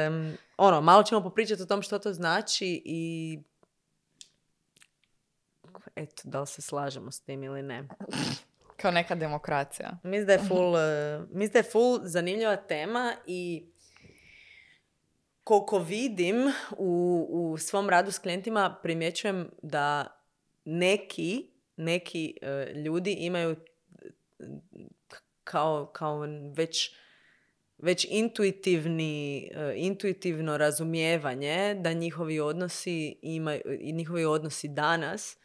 Um, ono, malo ćemo popričati o tom što to znači i... Eto, da li se slažemo s tim ili ne. Kao neka demokracija. Mislim da je full, uh, mislim da je full zanimljiva tema i koliko vidim u, u svom radu s klijentima primjećujem da neki, neki uh, ljudi imaju kao, kao već, već intuitivni, uh, intuitivno razumijevanje da njihovi odnosi imaju, i njihovi odnosi danas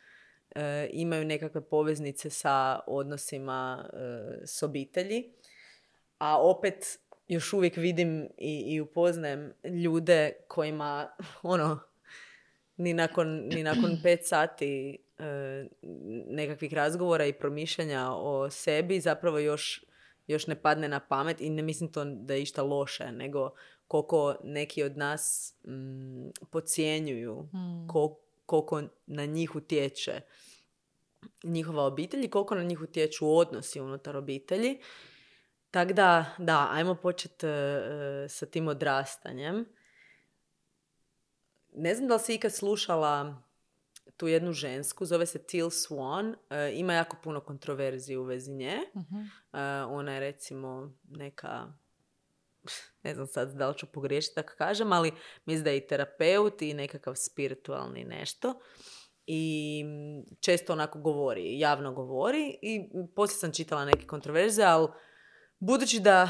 uh, imaju nekakve poveznice sa odnosima uh, s obitelji. A opet još uvijek vidim i, i upoznajem ljude kojima ono ni nakon, ni nakon pet sati e, nekakvih razgovora i promišljanja o sebi zapravo još, još ne padne na pamet i ne mislim to da je išta loše, nego koliko neki od nas mm, podcjenjuju, mm. kol, koliko na njih utječe njihova obitelj i koliko na njih utječu odnosi unutar obitelji. Tako da, da, ajmo početi uh, sa tim odrastanjem. Ne znam da li si ikad slušala tu jednu žensku, zove se Teal Swan. Uh, ima jako puno kontroverzije u vezi nje. Uh-huh. Uh, ona je recimo neka, ne znam sad da li ću pogriješiti tako kažem, ali mislim da je i terapeut i nekakav spiritualni nešto. I često onako govori, javno govori. I poslije sam čitala neke kontroverzije, ali budući da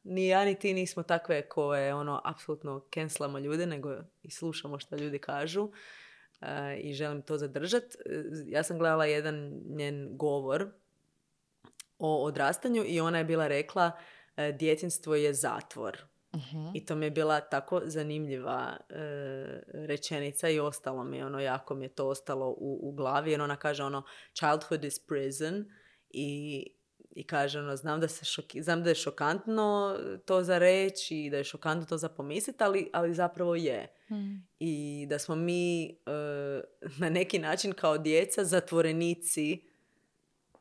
ni ja ni ti nismo takve koje ono apsolutno cancelamo ljude, nego i slušamo što ljudi kažu uh, i želim to zadržati. Ja sam gledala jedan njen govor o odrastanju i ona je bila rekla uh, djetinjstvo je zatvor. Uh-huh. I to mi je bila tako zanimljiva uh, rečenica i ostalo mi je ono, jako mi je to ostalo u, u glavi jer ona kaže ono childhood is prison i I kaže, ono, znam da, se šoki, znam da je šokantno to za reći i da je šokantno to za pomisliti, ali, ali zapravo je. Mm. I da smo mi uh, na neki način kao djeca zatvorenici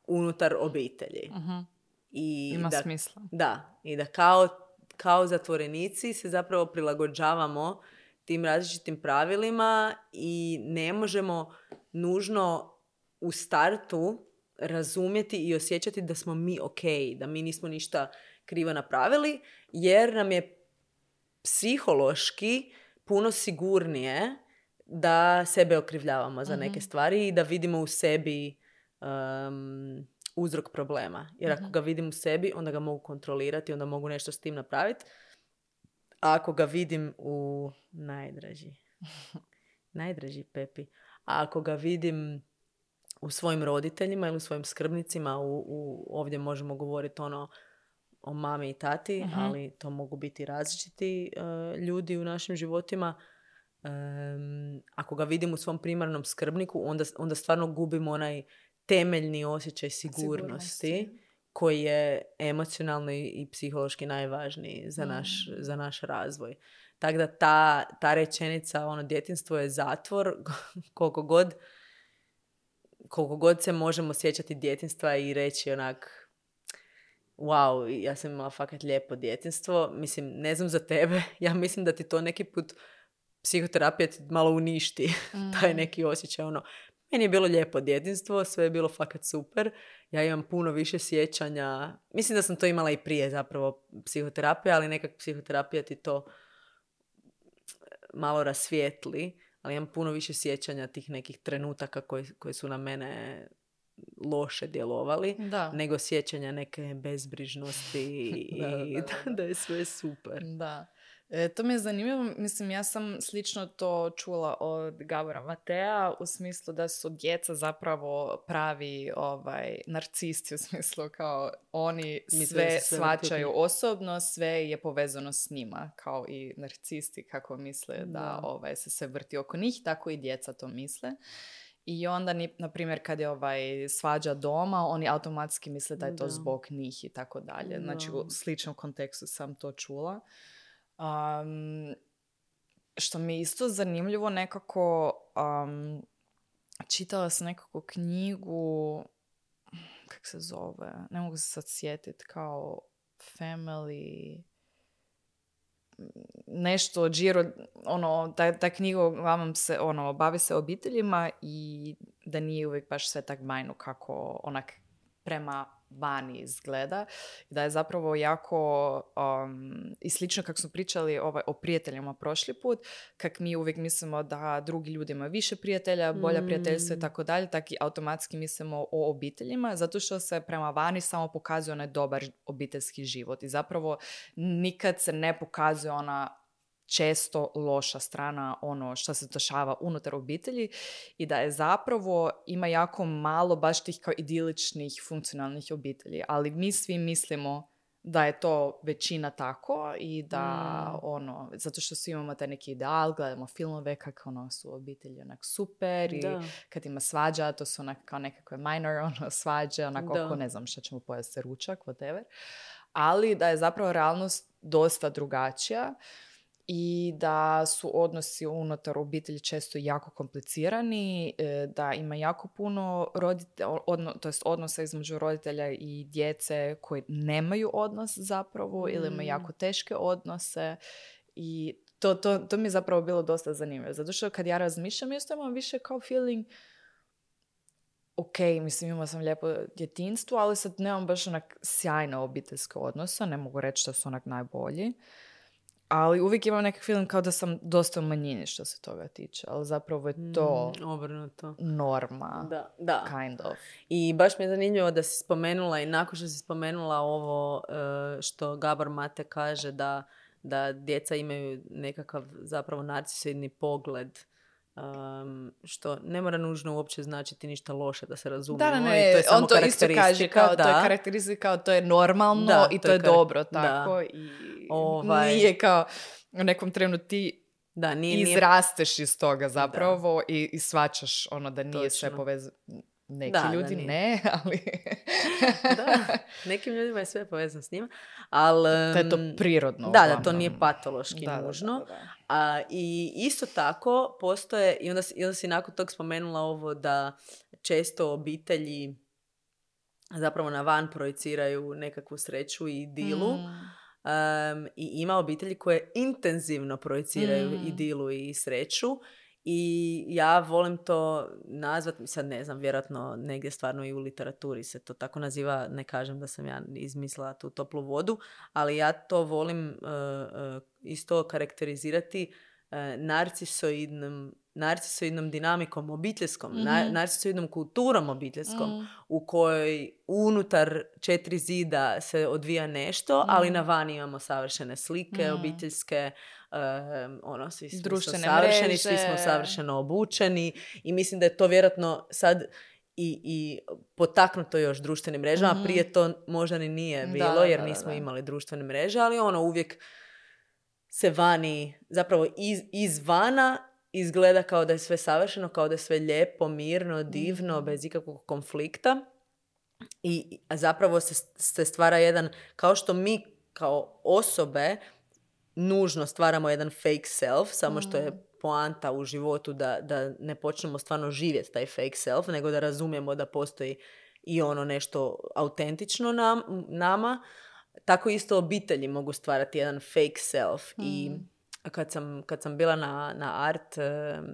unutar obitelji. Uh-huh. I Ima da, smisla. Da, i da kao, kao zatvorenici se zapravo prilagođavamo tim različitim pravilima i ne možemo nužno u startu razumjeti i osjećati da smo mi ok, da mi nismo ništa krivo napravili, jer nam je psihološki puno sigurnije da sebe okrivljavamo za neke stvari i da vidimo u sebi um, uzrok problema. Jer ako ga vidim u sebi, onda ga mogu kontrolirati, onda mogu nešto s tim napraviti. A ako ga vidim u najdraži, najdraži Pepi, a ako ga vidim u svojim roditeljima ili u svojim skrbnicima, u, u, ovdje možemo govoriti ono o mami i tati, uh-huh. ali to mogu biti različiti uh, ljudi u našim životima. Um, ako ga vidim u svom primarnom skrbniku, onda, onda stvarno gubimo onaj temeljni osjećaj sigurnosti, sigurnosti. koji je emocionalno i, i psihološki najvažniji za, naš, uh-huh. za naš razvoj. Tako da ta, ta rečenica, ono, djetinjstvo je zatvor, koliko god koliko god se možemo sjećati djetinjstva i reći onak wow, ja sam imala fakat lijepo djetinjstvo. Mislim, ne znam za tebe, ja mislim da ti to neki put psihoterapija ti malo uništi. Mm. Taj neki osjećaj, ono, meni je bilo lijepo djetinjstvo, sve je bilo fakat super. Ja imam puno više sjećanja. Mislim da sam to imala i prije zapravo psihoterapija, ali nekak psihoterapija ti to malo rasvijetli. Ali imam puno više sjećanja tih nekih trenutaka koji, koji su na mene loše djelovali, da. nego sjećanja neke bezbrižnosti i da, da, da, da. da je sve super. Da. E, to mi je zanimljivo. Mislim, ja sam slično to čula od Gabora Matea u smislu da su djeca zapravo pravi ovaj, narcisti, u smislu kao oni sve, sve shvaćaju osobno, sve je povezano s njima, kao i narcisti kako misle da, da ovaj, se sve vrti oko njih, tako i djeca to misle. I onda, na primjer, kad je ovaj svađa doma, oni automatski misle da je to da. zbog njih i tako dalje. Znači, u sličnom kontekstu sam to čula. Um, što mi je isto zanimljivo nekako, um, čitala sam nekako knjigu, kak se zove, ne mogu se sad sjetiti, kao Family, nešto, Giro, ono, ta, ta knjiga uglavnom se, ono, bavi se obiteljima i da nije uvijek baš sve tak bajno kako onak prema vani izgleda. Da je zapravo jako um, i slično kako smo pričali ovaj, o prijateljima prošli put, kak mi uvijek mislimo da drugi ljudi imaju više prijatelja, bolja Mm. prijateljstva i tako dalje, tak i automatski mislimo o obiteljima, zato što se prema vani samo pokazuje onaj dobar obiteljski život i zapravo nikad se ne pokazuje ona često loša strana, ono što se dešava unutar obitelji i da je zapravo ima jako malo baš tih kao idiličnih funkcionalnih obitelji, ali mi svi mislimo da je to većina tako i da Mm. ono, zato što svi imamo taj neki ideal, gledamo filmove kako ono su obitelji onak super i Da. kad ima svađa, to su onak kao nekakve minor ono, svađe, onako Da. oko ne znam šta ćemo pojesti ručak, whatever. Ali da je zapravo realnost dosta drugačija i da su odnosi unutar obitelji često jako komplicirani, e, da ima jako puno roditelja, odno, to jest odnosa između roditelja i djece koji nemaju odnos zapravo ili imaju jako teške odnose i to, to, to mi je zapravo bilo dosta zanimljivo. Zato što kad ja razmišljam, isto imam više kao feeling ok, mislim imala sam lijepo djetinjstvo, ali sad nemam baš onak sjajne obiteljske odnose, ne mogu reći da su onak najbolji. Ali uvijek imam neki film kao da sam dosta u manjini što se toga tiče, ali zapravo je to Mm, obrnuto. norma, Da, da. kind of. I baš mi je zanimljivo da si spomenula i nakon što si spomenula ovo e, što Gabor Mate kaže da, da djeca imaju nekakav zapravo narcisoidni pogled, um, što ne mora nužno uopće značiti ništa loše, da se razumijemo. Da, I ne, to je samo on to isto kaže kao da. to je karakteristika, kao to je normalno Da, i to to je je kar- dobro tako da. i Ovaj- nije kao u nekom trenu ti Da, nije, nije izrasteš iz toga zapravo i, i svačaš ono da nije sve Točno. povezano. Neki Da, da ljudi nije. ne, ali Da, nekim ljudima je sve povezano s njima, ali... da je to prirodno. Da, da, to uglavnom. nije patološki Da, da, nužno. da, da, da. A, I isto tako postoje, i onda, si- i onda si nakon tog spomenula ovo da često obitelji zapravo na van projiciraju nekakvu sreću i idilu. Mm. Um, I ima obitelji koje intenzivno projiciraju Mm. idilu i sreću. I ja volim to nazvati, sad ne znam, vjerojatno negdje stvarno i u literaturi se to tako naziva, ne kažem da sam ja izmislila tu toplu vodu, ali ja to volim uh, uh, isto karakterizirati uh, narcisoidnom, narcisoidnom dinamikom obiteljskom, Mhm. na, narcisoidnom kulturom obiteljskom, Mm. u kojoj unutar četiri zida se odvija nešto, ali na vani imamo savršene slike Mm. obiteljske, um, ono, svi smo Društvene savršeni, svi mreže. smo savršeno obučeni i mislim da je to vjerojatno sad i, i potaknuto još društvenim mrežama. Mhm. Prije to možda ni nije Da, bilo, da, jer da, nismo da. imali društvene mreže, ali ono uvijek se vani, zapravo iz, izvana izgleda kao da je sve savršeno, kao da je sve lijepo, mirno, divno, Mhm. bez ikakvog konflikta. I a zapravo se, se stvara jedan, kao što mi kao osobe nužno stvaramo jedan fake self, samo što je poanta u životu da, da ne počnemo stvarno živjeti taj fake self, nego da razumijemo da postoji i ono nešto autentično nam, nama. Tako isto obitelji mogu stvarati jedan fake self. I kad sam, kad sam bila na, na art em,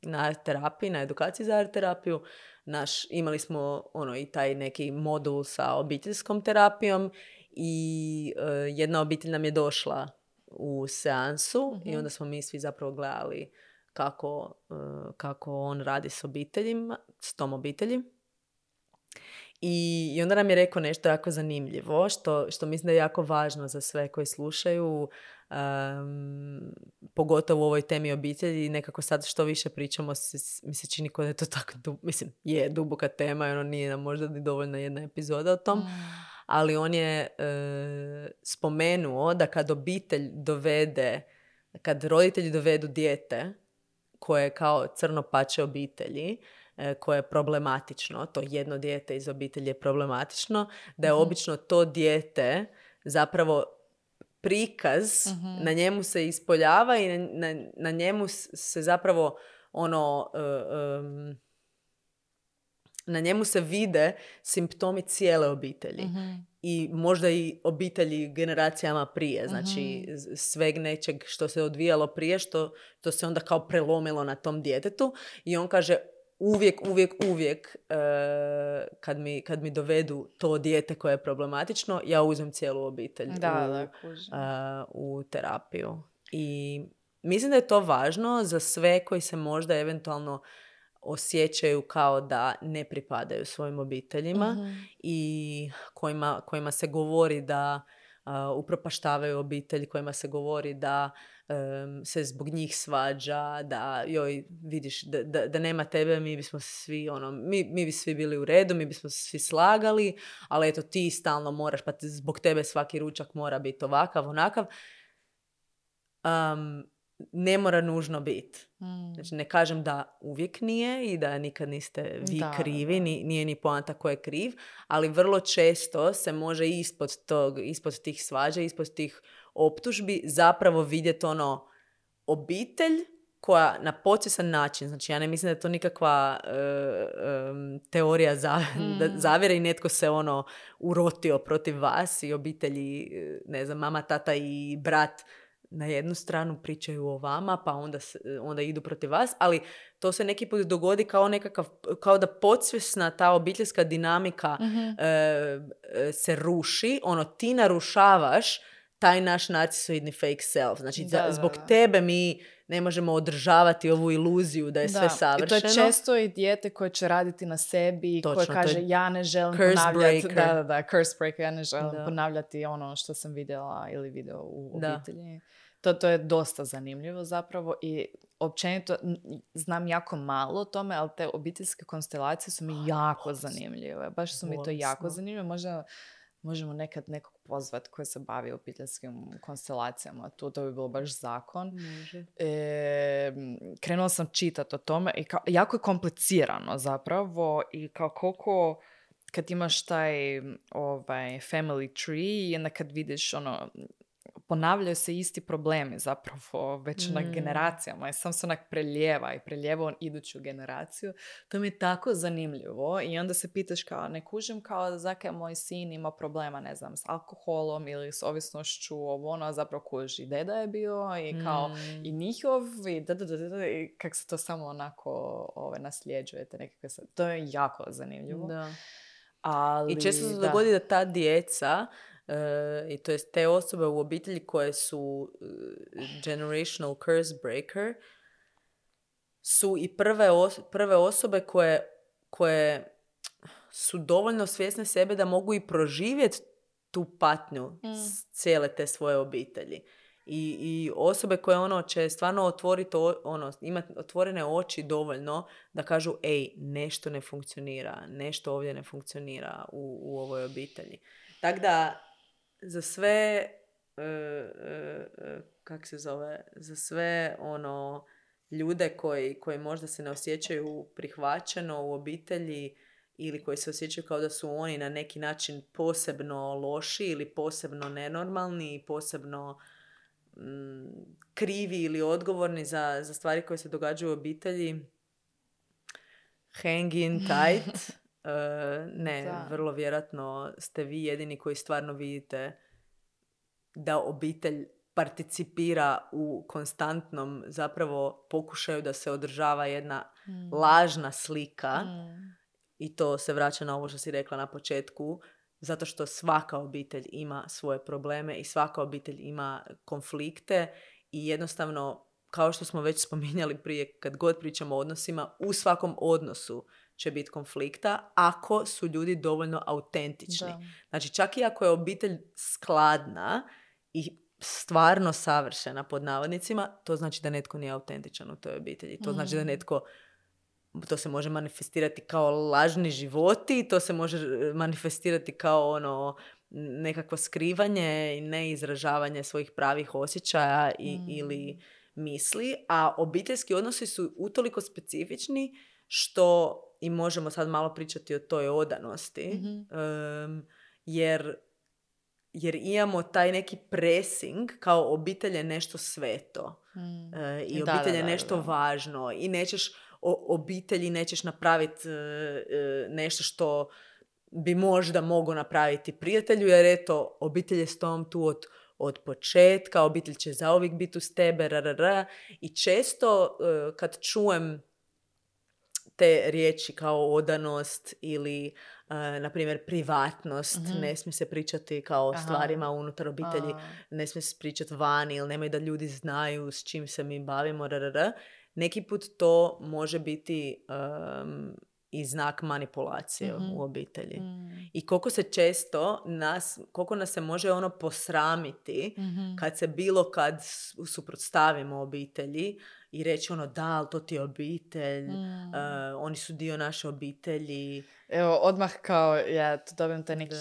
na art terapiji, na edukaciji za art terapiju, naš, imali smo ono i taj neki modul sa obiteljskom terapijom i e, jedna obitelj nam je došla u seansu Mhm. i onda smo mi svi zapravo gledali kako, e, kako on radi s obiteljima, s tom obitelji. I, I onda nam je rekao nešto jako zanimljivo, što, što mislim da je jako važno za sve koji slušaju, um, pogotovo u ovoj temi obitelji. Nekako sad što više pričamo, se, mi se čini kao da je to tako, dub, mislim, je duboka tema i ono nije nam možda ni dovoljna jedna epizoda o tom. Mm. Ali on je e, spomenuo da kad obitelj dovede, kad roditelji dovedu dijete koje je kao crno pače obitelji, e, koje je problematično, to jedno dijete iz obitelji je problematično, da je Mhm. obično to dijete zapravo prikaz, Mhm. na njemu se ispoljava i na, na, na njemu s- se zapravo ono... e, em, na njemu se vide simptomi cijele obitelji. Mhm. I možda i obitelji generacijama prije. Znači, z- sveg nečeg što se odvijalo prije, što, što se onda kao prelomilo na tom djetetu. I on kaže, uvijek, uvijek, uvijek uh, kad, mi, kad mi dovedu to dijete koje je problematično, ja uzmem cijelu obitelj da, u, da, kužim. uh, u terapiju. I mislim da je to važno za sve koji se možda eventualno osjećaju kao da ne pripadaju svojim obiteljima Mm-hmm. i kojima, kojima se govori da uh, upropaštavaju obitelj, kojima se govori da um, se zbog njih svađa, da joj vidiš da, da, da nema tebe, mi bismo svi ono, mi, mi bi svi bili u redu, mi bismo svi slagali, ali eto ti stalno moraš, pa zbog tebe svaki ručak mora biti ovakav, onakav. Um, ne mora nužno biti. Mm. Znači, ne kažem da uvijek nije i da nikad niste vi da, krivi, da. Ni, nije ni poanta ko je kriv, ali vrlo često se može ispod tog, ispod tih svađa, ispod tih optužbi zapravo vidjeti ono obitelj koja na podsvjestan način, znači ja ne mislim da je to nikakva uh, um, teorija za, mm. da zavjere i netko se ono urotio protiv vas i obitelji, ne znam, mama, tata i brat na jednu stranu pričaju o vama, pa onda, onda idu protiv vas, ali to se neki put dogodi kao nekakav, kao da podsvjesna ta obiteljska dinamika mm-hmm. e, se ruši, ono ti narušavaš taj naš narcisoidni fake self. Znači, da, za, da, zbog da. tebe mi ne možemo održavati ovu iluziju da je da. sve savršeno. I to je često i dijete koje će raditi na sebi, Točno, koje kaže ja ne želim ponavljati, da, da, da, curse breaker, ja ne želim da. ponavljati ono što sam vidjela ili video u da. obitelji. To, to je dosta zanimljivo zapravo i općenito znam jako malo o tome, ali te obiteljske konstelacije su mi jako zanimljive. Baš su mi to jako zanimljive. Možda možemo nekad nekog pozvati koji se bavi obiteljskim konstelacijama. Tu to bi bilo baš zakon. E, krenula sam čitati o tome i kao, jako je komplicirano zapravo i kao koliko kad imaš taj ovaj, family tree i onda kad vidiš ono ponavljaju se isti problemi zapravo već mm. na generacijama i sam se onak preljeva i preljeva on iduću generaciju. To mi je tako zanimljivo i onda se pitaš kao, ne kužim kao zakaj moj sin ima problema, ne znam, s alkoholom ili s ovisnošću, ovo ono, zapravo kuži i deda je bio i kao mm. i njihov i da, da, da, da, i kak se to samo onako ove, nasljeđujete nekakve, to je jako zanimljivo. Da. Ali, i često se da. dogodi da ta djeca Uh, i to jest te osobe u obitelji koje su uh, generational curse breaker su i prve, os- prve osobe koje, koje su dovoljno svjesne sebe da mogu i proživjeti tu patnju mm. cijele te svoje obitelji. I, i osobe koje ono će stvarno otvoriti, ono, imati otvorene oči dovoljno da kažu ej, nešto ne funkcionira, nešto ovdje ne funkcionira u, u ovoj obitelji. Tako da za sve uh, uh, kak se zove, za sve ono ljude koji, koji možda se ne osjećaju prihvaćeno u obitelji ili koji se osjećaju kao da su oni na neki način posebno loši ili posebno nenormalni i posebno mm, krivi ili odgovorni za, za stvari koje se događaju u obitelji, hang in tight. Uh, ne, da. Vrlo vjerojatno ste vi jedini koji stvarno vidite da obitelj participira u konstantnom zapravo pokušaju da se održava jedna mm. lažna slika mm. i to se vraća na ovo što si rekla na početku, zato što svaka obitelj ima svoje probleme i svaka obitelj ima konflikte i jednostavno, kao što smo već spominjali prije, kad god pričamo o odnosima, u svakom odnosu će biti konflikta ako su ljudi dovoljno autentični. Da. Znači, čak i ako je obitelj skladna i stvarno savršena pod navodnicima, to znači da netko nije autentičan u toj obitelji. To mm. znači da netko, to se može manifestirati kao lažni životi, to se može manifestirati kao ono nekakvo skrivanje i neizražavanje svojih pravih osjećaja i, mm. ili misli, a obiteljski odnosi su utoliko specifični što i možemo sad malo pričati o toj odanosti, mm-hmm. um, jer, jer imamo taj neki pressing kao obitelj je nešto sveto mm. uh, i da, obitelj da, je da, nešto da. važno i nećeš o obitelji nećeš napraviti uh, uh, nešto što bi možda mogao napraviti prijatelju, jer eto, obitelj je s tom tu od, od početka, obitelj će zauvijek biti uz tebe, rarara. I često uh, kad čujem te riječi kao odanost ili, uh, na primjer, privatnost. Mhm. Ne smije se pričati kao o Aha. stvarima unutar obitelji. A. Ne smije se pričati vani ili nemoj da ljudi znaju s čim se mi bavimo. Rrr. Neki put to može biti um, i znak manipulacije Mhm. u obitelji. Mm. I koliko se često nas, koliko nas se može ono posramiti Mhm. kad se bilo kad s- suprotstavimo obitelji i reći ono da, ali to ti je obitelj, Mm. uh, oni su dio naše obitelji. Evo, odmah kao, ja tu dobijem taj neki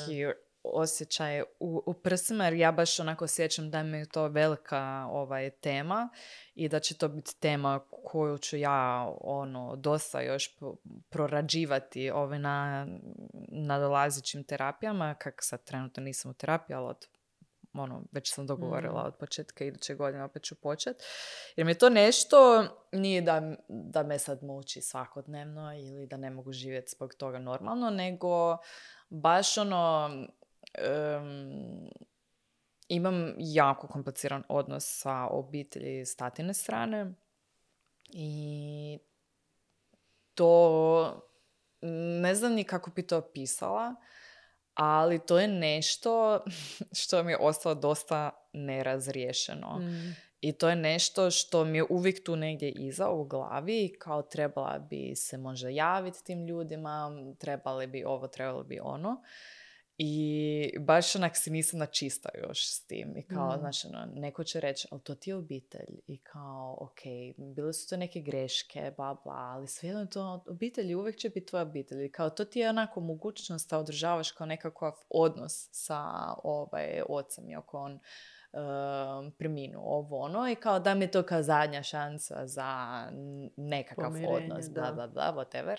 osjećaj u, u prsima, jer ja baš onako osjećam da mi je to velika ovaj, tema i da će to biti tema koju ću ja ono, dosta još pro- prorađivati ovaj, na nadolazećim terapijama, kak sad trenutno nisam u terapiji, ali od ono, već sam dogovorila Mm. od početka iduće godine opet ću počet. Jer mi je to nešto, nije da, da me sad muči svakodnevno ili da ne mogu živjeti zbog toga normalno, nego baš ono, um, imam jako kompliciran odnos sa obitelji s tatine strane i to ne znam ni kako bi to opisala, ali to je nešto što mi je ostalo dosta nerazriješeno. Mm. I to je nešto što mi je uvijek tu negdje iza u glavi, kao trebala bi se možda javiti tim ljudima, trebali bi ovo, trebali bi ono. I baš onak si nisam na čista još s tim. I kao, Mm. znaš, ono, neko će reći, ali to ti je obitelj. I kao, ok, bile su to neke greške, bla, bla, ali svejedno je to obitelj, uvijek će biti tvoja obitelj. I kao, to ti je onako mogućnost da održavaš kao nekakav odnos sa ovaj, ocem, iako on um, preminuo ovo ono. I kao, da mi je to kao zadnja šansa za nekakav Pomirenje, odnos, bla, da. bla, bla, whatever.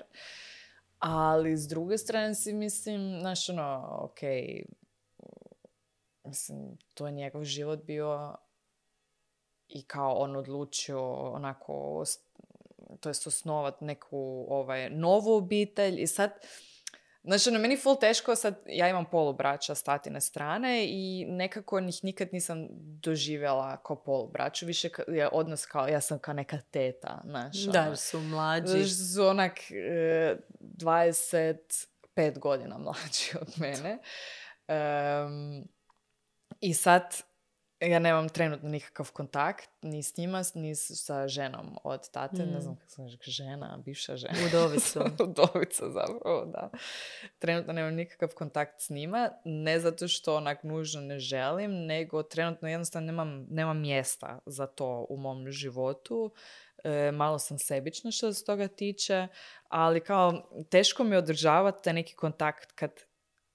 Ali s druge strane si mislim, znaš ono, ok, mislim, to je njegov život bio i kao on odlučio onako, to jest osnovat neku ovaj, novu obitelj i sad, znači ono, meni ful teško sad, ja imam polubraća s tatine strane i nekako njih nikad nisam doživjela kao polubraću, više ka, je odnos kao, ja sam kao neka teta, znaš. Da, ono. jer su mlađi. Znaš, su onak e, dvadeset pet godina mlađi od mene. Um, I sad ja nemam trenutno nikakav kontakt ni s njima, ni sa ženom od tate. Mm. Ne znam kako se kaže, žena, bivša žena. Udovicu. Udovica zapravo, da. Trenutno nemam nikakav kontakt s njima. Ne zato što onak nužno ne želim, nego trenutno jednostavno nemam, nemam mjesta za to u mom životu. E, malo sam sebična što se toga tiče, ali kao teško mi je održavati taj neki kontakt kad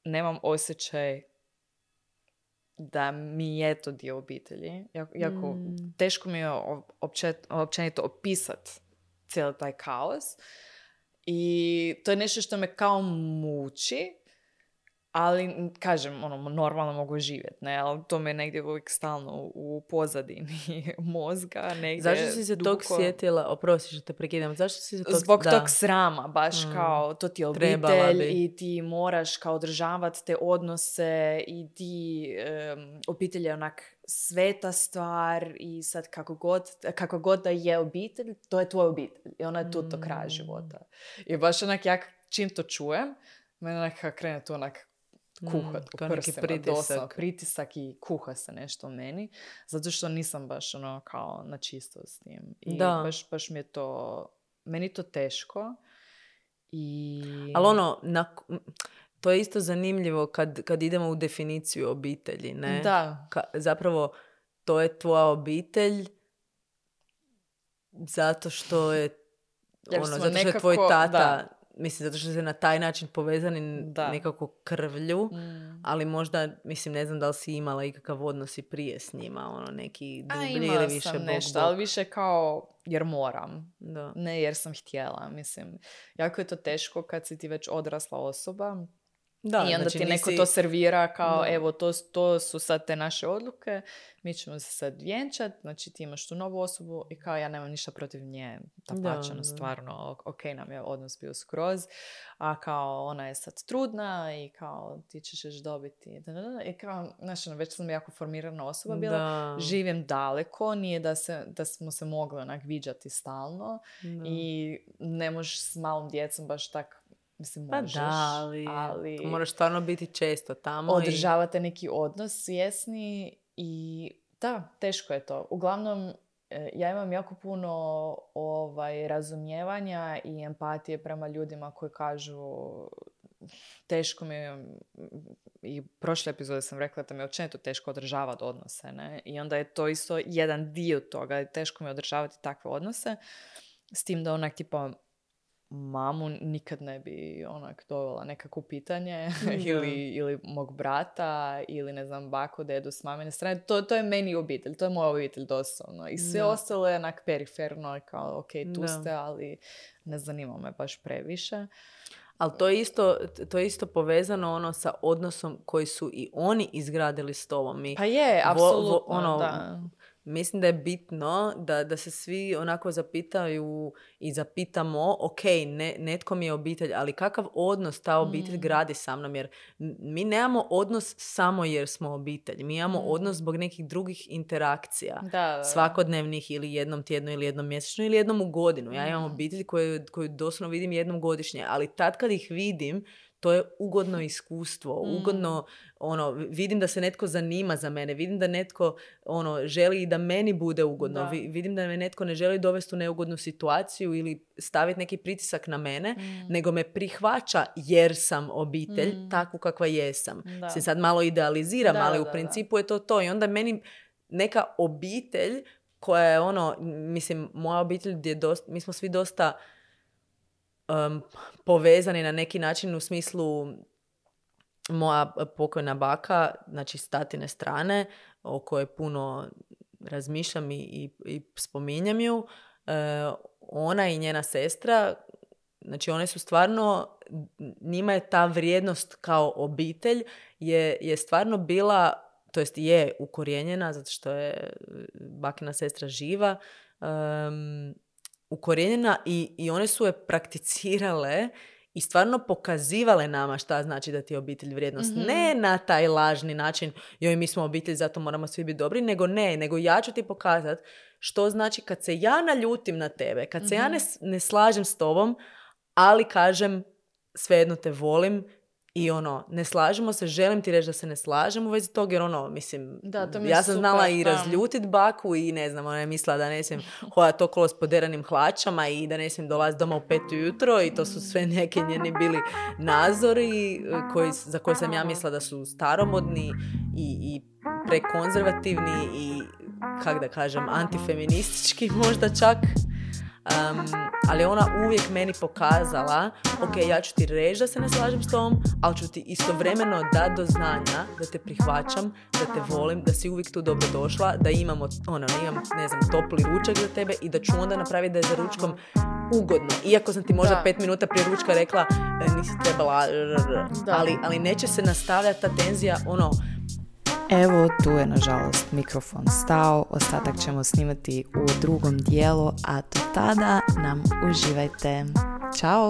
nemam osjećaj da mi je to dio obitelji. Jako, jako Mm. teško mi je općet, općenito opisati cijeli taj kaos. I to je nešto što me kao muči, ali, kažem, ono, normalno mogu živjeti, ne? Ali to me negdje uvijek stalno u pozadini mozga, negdje Zašto si se duboko... tog sjetila? Oprosti što te prekidam. Zašto si se tog... Zbog da. tog srama, baš Mm. kao to ti je Trebala obitelj bi. i ti moraš kao održavati te odnose i ti um, obitelj je onak sveta stvar i sad kako god, kako god da je obitelj, to je tvoja obitelj i ona je tu do kraja Mm. života. I baš onak ja čim to čujem, mene onak krene tu onak kuhat Mm, u kao neki prsima, pritisak. doslovno, pritisak i kuha se nešto u meni, zato što nisam baš ono kao na čisto s tim. I Da. baš, baš mi je to, meni je to teško. I... Ali ono, na, to je isto zanimljivo kad, kad idemo u definiciju obitelji, ne? Da. Ka, zapravo, to je tvoja obitelj zato što je Jer ono, smo zato što je nekako- tvoj tata, da. mislim, zato što se na taj način povezani Da. nekako krvlju, Mm. ali možda, mislim, ne znam da li si imala ikakav odnos i prije s njima, ono, neki A dublji imala ili više sam bok, nešto, bok. ali više kao jer moram. Da. Ne jer sam htjela, mislim. Jako je to teško kad si ti već odrasla osoba Da, I onda znači ti neko nisi- to servira kao, Da. evo, to, to su sad te naše odluke, mi ćemo se sad vjenčat, znači ti imaš tu novu osobu i kao ja nemam ništa protiv nje, Da, dapače, da. stvarno, ok nam je odnos bio skroz, a kao ona je sad trudna i kao ti ćeš još dobiti, da, da, da. I kao, znaš, ono, već sam jako formirana osoba bila, Da. živim daleko, nije da, se, da smo se mogli onak viđati stalno Da. i ne možeš s malom djecom baš tak. Mislim, Pa možeš, da, ali, ali moraš stvarno biti često tamo. održavate neki odnos svjesni i da, teško je to. Uglavnom, e, ja imam jako puno ovaj, razumijevanja i empatije prema ljudima koji kažu teško mi je, i prošle epizode sam rekla da mi je općenito teško održavati odnose, ne? I onda je to isto jedan dio toga, teško mi je održavati takve odnose, s tim da onak tipa mamu nikad ne bi onak dovela nekako pitanje ili, ili mog brata ili ne znam baku, dedu s mamine strane. To, to je meni obitelj, to je moja obitelj doslovno. I sve Da. ostalo je onak periferno kao ok, tu Da. ste, ali ne zanima me baš previše. Ali to je isto, to je isto povezano ono sa odnosom koji su i oni izgradili s tobom. Mi Pa je, vo- vo- apsolutno, ono, da. Mislim da je bitno da, da se svi onako zapitaju i zapitamo, ok, ne, netko mi je obitelj, ali kakav odnos ta obitelj Mm. gradi sa mnom? Jer m- mi nemamo odnos samo jer smo obitelj. Mi imamo Mm. odnos zbog nekih drugih interakcija. Da, da, da. Svakodnevnih ili jednom tjedno ili jednom mjesečno ili jednom u godinu. Ja imam Mm. obitelj koju, koju doslovno vidim jednom godišnje, ali tad kad ih vidim, to je ugodno iskustvo, Mm. ugodno, ono, vidim da se netko zanima za mene, vidim da netko, ono, želi i da meni bude ugodno, Da. Vi- vidim da me netko ne želi dovesti u neugodnu situaciju ili staviti neki pritisak na mene, Mm. nego me prihvaća jer sam obitelj, Mm. takvu kakva jesam. Da. Se sad malo idealiziram, Da, ali da, u da, principu je to to. I onda meni neka obitelj koja je ono, mislim, moja obitelj je dosta, mi smo svi dosta um, povezani na neki način u smislu moja pokojna baka, znači s tatine strane, o kojoj puno razmišljam i, i, i spominjam ju, e, ona i njena sestra, znači one su stvarno, njima je ta vrijednost kao obitelj je, je stvarno bila, to jest je ukorijenjena, zato što je bakina sestra živa, um, ukorijenjena i, i one su je prakticirale i stvarno pokazivale nama šta znači da ti je obitelj vrijednost. Mhm. Ne na taj lažni način, joj mi smo obitelj, zato moramo svi biti dobri, nego ne, nego ja ću ti pokazati što znači kad se ja naljutim na tebe, kad se ja ne, s- ne slažem s tobom, ali kažem svejedno te volim i ono, ne slažemo se, želim ti reći da se ne slažem u vezi toga, jer ono, mislim, Da, to mi je ja sam super, znala i da. razljutit baku i ne znam, ona je mislila da ne smijem hodati okolo s poderanim hlačama i da ne smijem dolaziti doma u pet ujutro i to su sve neki njeni bili nazori eh, koji, za koje sam ja mislila da su staromodni i, i prekonzervativni i, kak da kažem, antifeministički možda čak. Um, ali ona uvijek meni pokazala, ok, ja ću ti reći da se ne slažem s tobom, ali ću ti istovremeno dati do znanja da te prihvaćam, da te volim, da si uvijek tu dobro došla, da imamo, ono, imam, ne znam, topli ručak za tebe i da ću onda napraviti da je za ručkom ugodno. Iako sam ti možda Da. pet minuta prije ručka rekla e, nisi trebala, r, r, r. Da. ali, ali neće se nastavljati ta tenzija, ono, Evo, tu je nažalost mikrofon stao, ostatak ćemo snimati u drugom dijelu, a do tada nam uživajte. Ćao!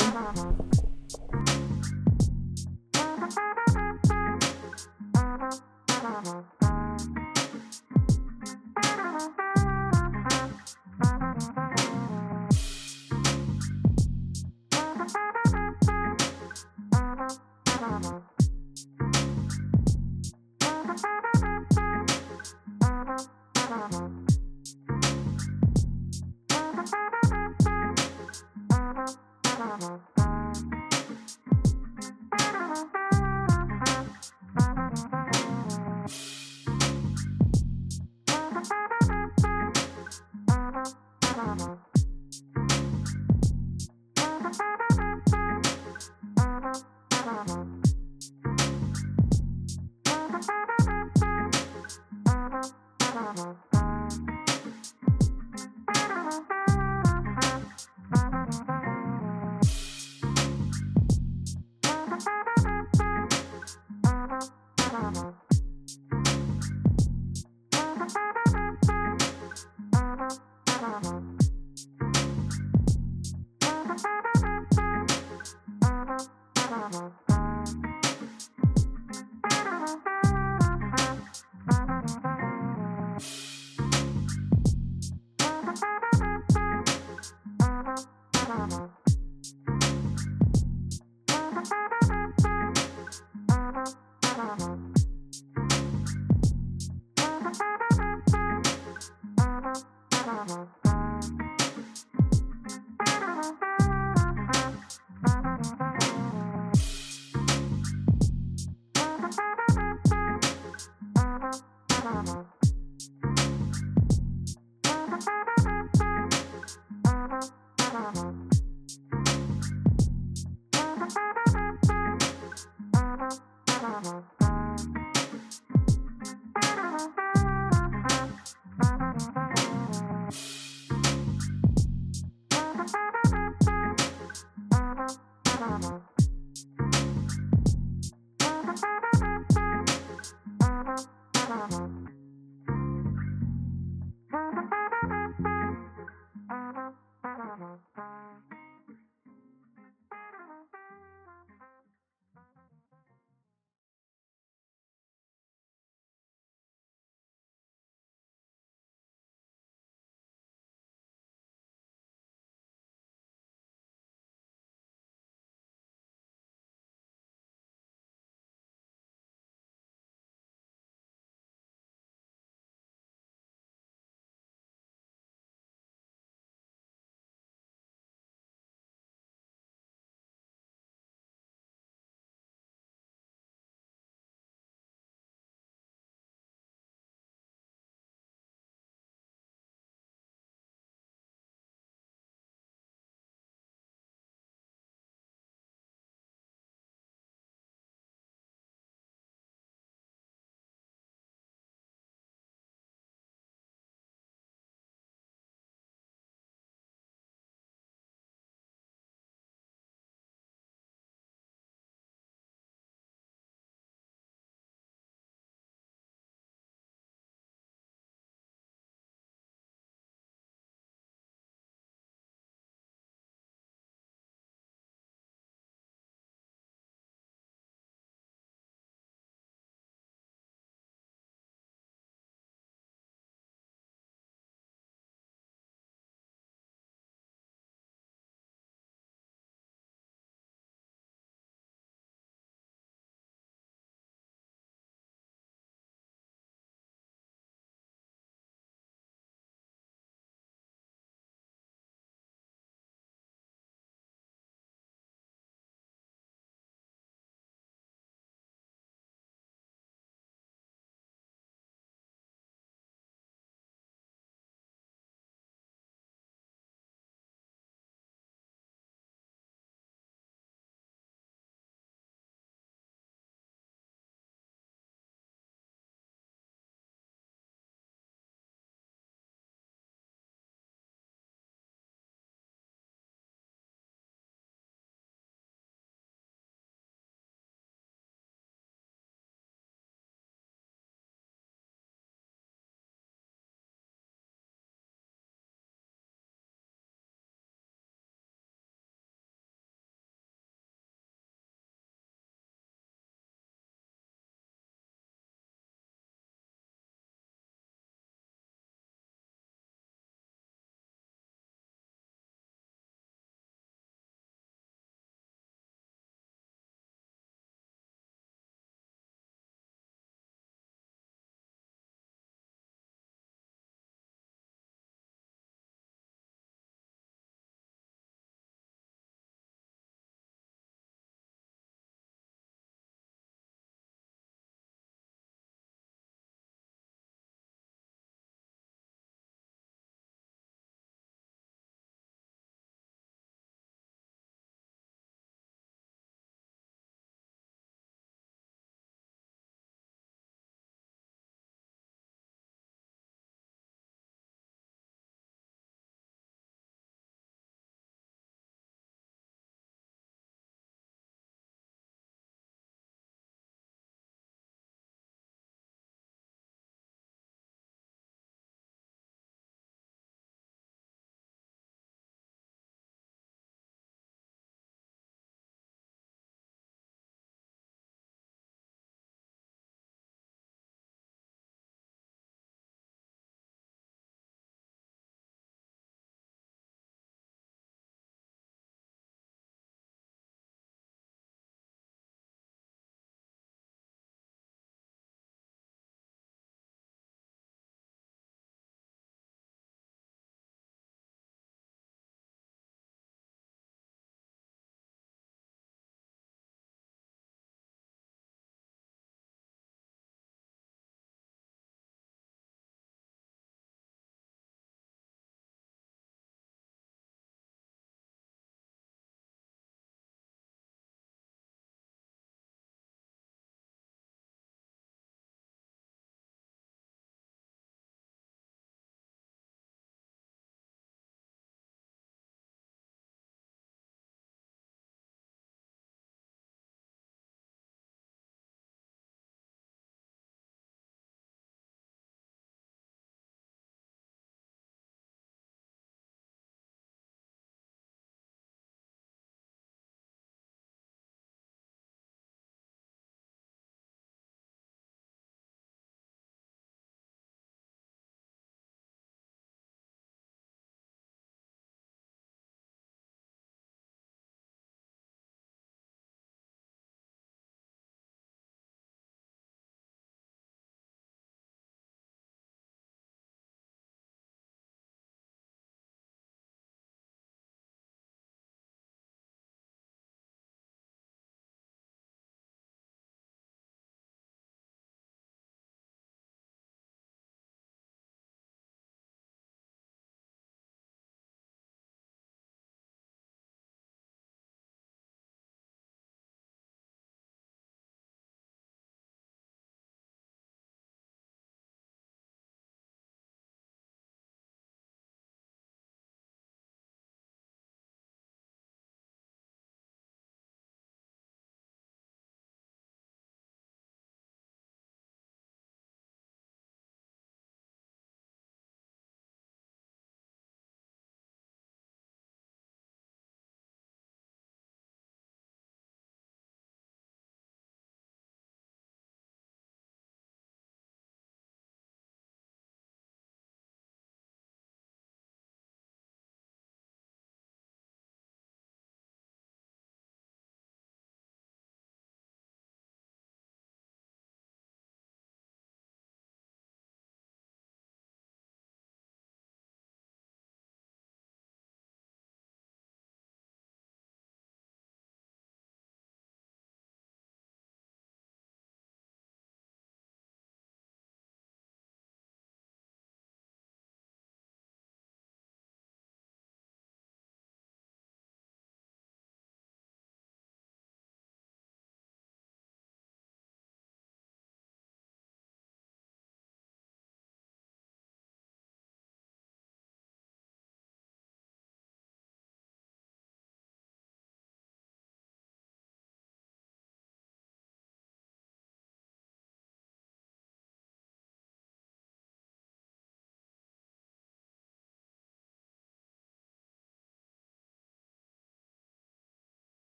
Uh-huh.